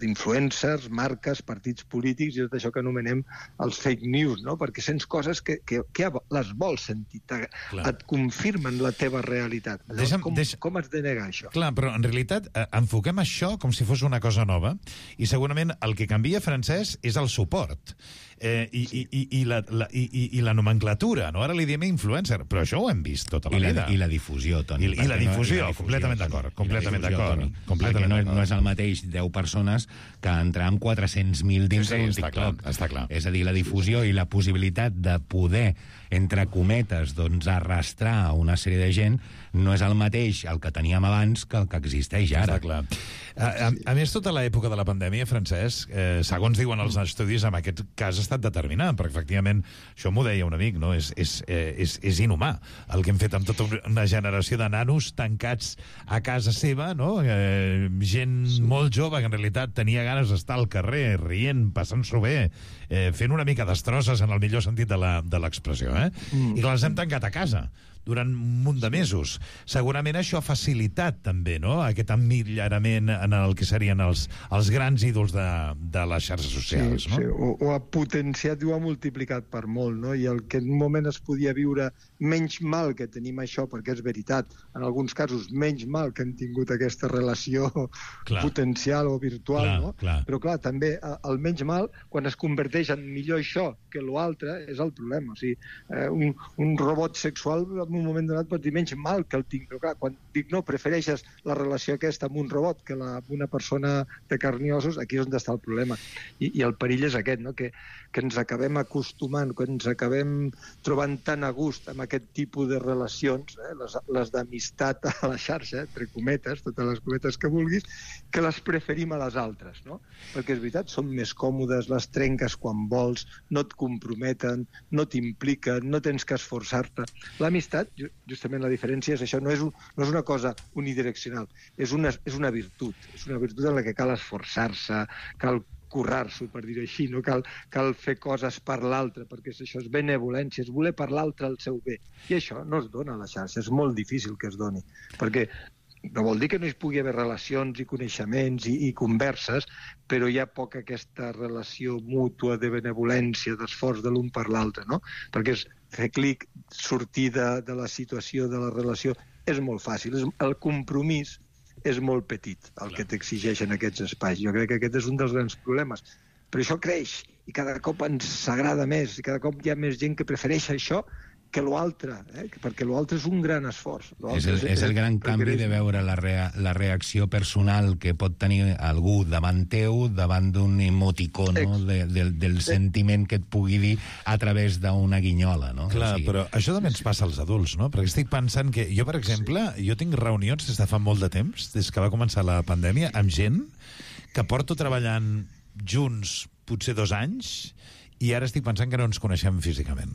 [SPEAKER 18] d'influencers, marques, partits polítics i tot això que anomenem els fake news, no? Perquè sents coses que les vols sentir, et confirmen la teva realitat. Com has de negar això?
[SPEAKER 10] Clar, però en realitat enfoquem això com si fos una cosa nova i segurament el que canvia, Francesc, és el suport. I la nomenclatura, no? Ara li diem influencer, però això ho hem vist tota la vida.
[SPEAKER 16] I la difusió, Toni.
[SPEAKER 10] I la difusió, completament d'acord.
[SPEAKER 16] Perquè no és el mateix 10 persones que entrar amb 400.000 dins d'un TikTok.
[SPEAKER 10] Està clar.
[SPEAKER 16] És a dir, la difusió i la possibilitat de poder, entre cometes, arrastrar una sèrie de gent no és el mateix el que teníem abans que el que existeix ara.
[SPEAKER 10] Està clar. A més, tota l'època de la pandèmia, Francesc, segons diuen els estudis, en aquest cas ha estat determinant, perquè efectivament, això m'ho deia un amic, no? És inhumà el que hem fet amb tota una generació de nanos tancats a casa seva, no? Gent molt jove que en realitat tenia ganes d'estar al carrer, rient, passant-s'ho bé, fent una mica destrosses en el millor sentit de l'expressió, i que les hem tancat a casa durant un munt de mesos. Segurament això ha facilitat també, no?, aquest emmirallarament en el que serien els grans ídols de les xarxes socials, no?
[SPEAKER 18] Sí, ho ha potenciat i ho ha multiplicat per molt, no? I el que en un moment es podia viure menys mal que tenim això, perquè és veritat, en alguns casos menys mal que hem tingut aquesta relació potencial o virtual, no? Però clar, també el menys mal, quan es converteix en millor això que l'altre, és el problema. O sigui, un robot sexual en un moment donat pots dir menys mal que el tinc, però clar, quan dic no, prefereixes la relació aquesta amb un robot que amb una persona de carn i ossos, aquí és on està el problema. I el perill és aquest, no? Que ens acabem acostumant, que ens acabem trobant tan a gust amb aquest tipus de relacions, les d'amistat a la xarxa, entre cometes, totes les cometes que vulguis, que les preferim a les altres, no? Perquè és veritat, són més còmodes, les trenques quan vols, no et comprometen, no t'impliquen, no tens que esforçar-te. L'amistat, justament la diferència és això, no és una cosa unidireccional, és una virtut, és una virtut en la que cal esforçar-se, cal currar-s'ho, per dir-ho així, no cal fer coses per l'altre, perquè això és benevolència, és voler per l'altre el seu bé. I això no es dona a la xarxa, és molt difícil que es doni, perquè no vol dir que no hi pugui haver relacions i coneixements i converses, però hi ha poca aquesta relació mútua de benevolència, d'esforç de l'un per l'altre, no? Perquè fer clic, sortir de la situació, de la relació, és molt fàcil. El compromís és molt petit, el que t'exigeixen aquests espais. Jo crec que aquest és un dels grans problemes. Però això creix, i cada cop ens agrada més, i cada cop hi ha més gent que prefereix això que l'altre, perquè l'altre és un gran esforç.
[SPEAKER 16] És el gran canvi de veure la reacció personal que pot tenir algú davant teu, davant d'un emoticono del sentiment que et pugui dir a través d'una guinyola, no?
[SPEAKER 10] Clar, però això també ens passa als adults, no? Perquè estic pensant que jo, per exemple, jo tinc reunions des de fa molt de temps, des que va començar la pandèmia, amb gent que porto treballant junts potser 2 anys i ara estic pensant que no ens coneixem físicament.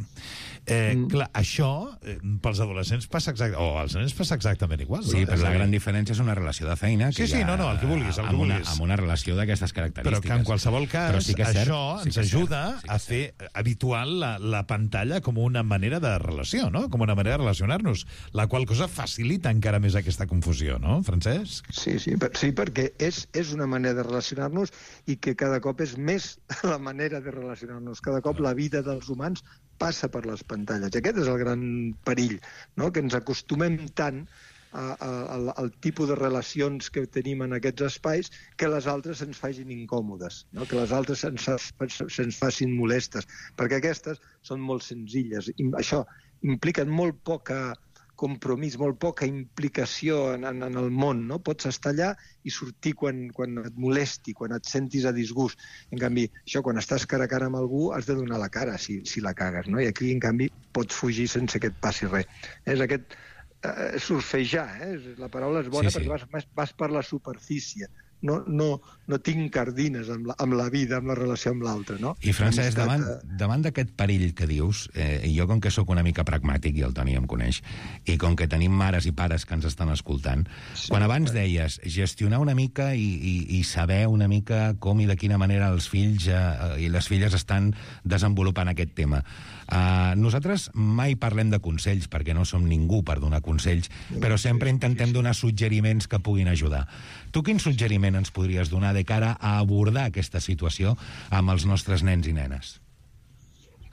[SPEAKER 10] Clar, això pels adolescents passa exactament, o als nens passa exactament igual.
[SPEAKER 16] Sí, però la gran diferència és una relació de feina que
[SPEAKER 10] sí, no, el que vulguis,
[SPEAKER 16] amb una relació d'aquestes característiques.
[SPEAKER 10] Però que en qualsevol cas
[SPEAKER 16] sí
[SPEAKER 10] això ens ajuda a fer habitual la pantalla com una manera de relació, no? Com una manera de relacionar-nos, la qual cosa facilita encara més aquesta confusió, no, Francesc?
[SPEAKER 18] Sí, perquè és una manera de relacionar-nos i que cada cop és més la manera de relacionar-nos. Cada cop la vida dels humans passa per les pantalles. Aquest és el gran perill, no? Que ens acostumem tant al tipus de relacions que tenim en aquests espais que les altres ens facin incòmodes, no? Que les altres se'ns facin molestes, perquè aquestes són molt senzilles. Això impliquen molt poca compromís, molt poca implicació en el món, no? Pots estar allà i sortir quan et molesti, quan et sentis a disgust. En canvi, això, quan estàs cara a cara amb algú, has de donar la cara si la cagues, no? I aquí, en canvi, pots fugir sense que et passi res. És aquest surfejar, la paraula és bona perquè vas per la superfície. No tinc cardines amb la vida, amb la relació amb l'altre, no?
[SPEAKER 16] I Francesc, davant d'aquest perill que dius, jo com que sóc una mica pragmàtic, i el Toni em coneix, i com que tenim mares i pares que ens estan escoltant, quan abans deies gestionar una mica i saber una mica com i de quina manera els fills i les filles estan desenvolupant aquest tema. Nosaltres mai parlem de consells, perquè no som ningú per donar consells, però sempre intentem donar suggeriments que puguin ajudar. Tu quin suggeriment ens podries donar de cara a abordar aquesta situació amb els nostres nens i nenes?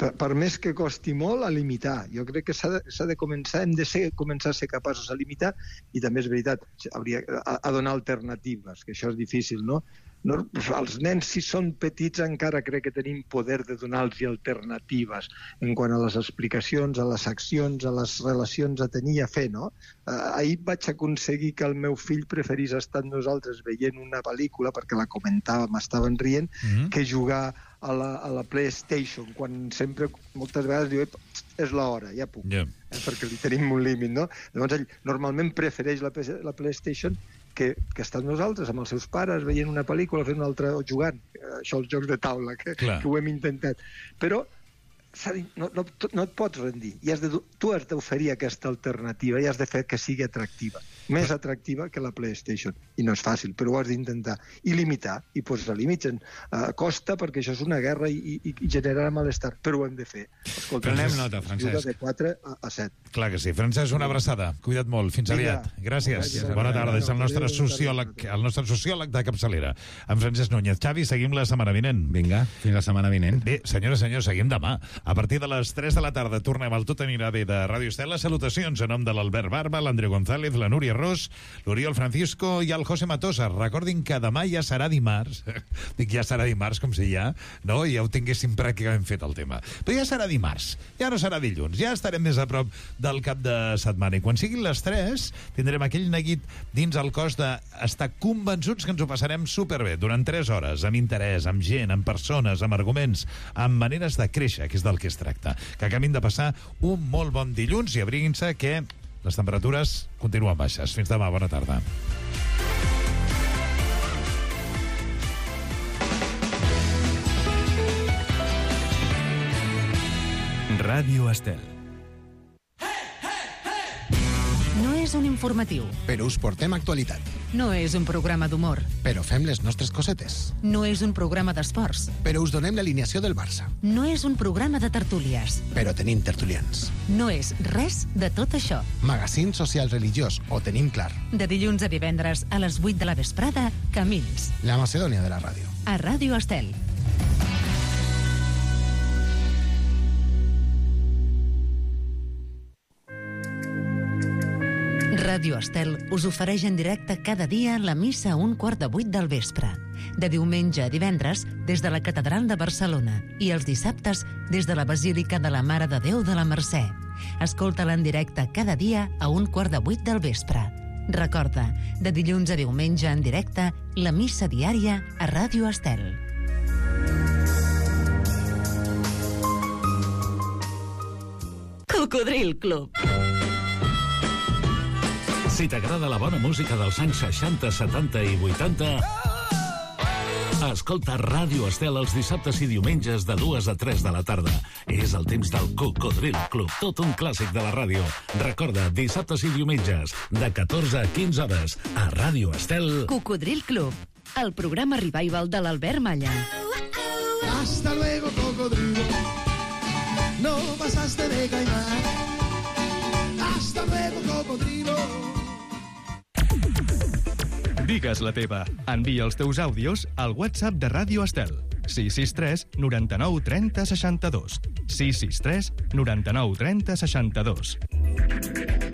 [SPEAKER 18] Per més que costi molt, a limitar. Jo crec que s'ha de començar, hem de començar a ser capaços de limitar, i també és veritat, a donar alternatives, que això és difícil, no? Els nens, si són petits, encara crec que tenim poder de donar-los alternatives en quant a les explicacions, a les accions, a les relacions a tenir i a fer, no? Ahir vaig aconseguir que el meu fill preferís estar amb nosaltres veient una pel·lícula, perquè la comentàvem, estaven rient, que jugar a la PlayStation, quan sempre, moltes vegades, diu, és l'hora, ja puc, perquè li tenim un límit, no? Llavors ell normalment prefereix la PlayStation que estar amb nosaltres, amb els seus pares, veient una pel·lícula, fent una altra, o jugant. Això, els jocs de taula, que ho hem intentat. Però no et pots rendir. Tu has d'oferir aquesta alternativa i has de fer que sigui atractiva. Més atractiva que la PlayStation. I no és fàcil, però ho has d'intentar. I limitar, i posar límits. Costa, perquè això és una guerra i generarà malestar, però ho hem de fer. Escolta,
[SPEAKER 10] prenem nota, Francesc.
[SPEAKER 18] De 4 a 7.
[SPEAKER 10] Clar que sí. Francesc, una abraçada. Cuida't molt. Fins aviat. Gràcies. Bona tarda. És el nostre sociòleg de capçalera, en Francesc Núñez. Xavi, seguim la setmana vinent.
[SPEAKER 16] Vinga, fins la setmana vinent.
[SPEAKER 10] Bé, senyores i senyors, seguim demà. A partir de les 3 de la tarda tornem al Tot anirà bé de Ràdio Estel. Salutacions en nom de l'Albert Barba, l'Andreu González, la Núria Ros, l'Oriol Francisco i el José Matosa. Recordin que demà ja serà dimarts. Dic ja serà dimarts, com si ja ho tinguéssim pràcticament fet el tema. Però ja serà dimarts, ja no serà dilluns, ja estarem més a prop del cap de setmana. I quan siguin les 3 tindrem aquell neguit dins el cos d'estar convençuts que ens ho passarem superbé durant 3 hores, amb interès, amb gent, amb persones, amb arguments, amb maneres de créixer, que és del que es tracta. Que acaben de passar un molt bon dilluns i abriguin-se que les temperatures continuen baixes. Fins demà, bona tarda.
[SPEAKER 1] Ràdio Estel.
[SPEAKER 6] No és un informatiu.
[SPEAKER 15] Però us portem actualitat.
[SPEAKER 6] No és un programa d'humor.
[SPEAKER 15] Però fem les nostres cosetes.
[SPEAKER 6] No és un programa d'esports.
[SPEAKER 15] Però us donem l'alineació del Barça.
[SPEAKER 6] No és un programa de tertúlies.
[SPEAKER 15] Però tenim tertulians.
[SPEAKER 6] No és res de tot això.
[SPEAKER 15] Magazín social religiós, ho tenim clar.
[SPEAKER 6] De dilluns a divendres a les 8 de la vesprada, Camins.
[SPEAKER 15] La Macedònia de la ràdio.
[SPEAKER 6] A Ràdio Estel. Ràdio Estel us ofereix en directe cada dia la missa a 7:15 del vespre. De diumenge a divendres, des de la Catedral de Barcelona, i els dissabtes, des de la Basílica de la Mare de Déu de la Mercè. Escolta-la en directe cada dia a 7:15 del vespre. Recorda, de dilluns a diumenge en directe, la missa diària a Ràdio Estel.
[SPEAKER 19] Cocodril Club.
[SPEAKER 20] Si t'agrada la bona música dels anys 60, 70 i 80, escolta Ràdio Estel els dissabtes i diumenges de 2 a 3 de la tarda. És el temps del Cocodril Club, tot un clàssic de la ràdio. Recorda, dissabtes i diumenges, de 14 a 15 hores, a Ràdio Estel.
[SPEAKER 19] Cocodril Club, el programa revival de l'Albert Malla.
[SPEAKER 21] Hasta luego, cocodrilo. No pasaste de caimán. Hasta luego, cocodrilo.
[SPEAKER 1] Digues la teva. Envia els teus àudios al WhatsApp de Ràdio Estel. 663 99 30 62. 663 99 30 62.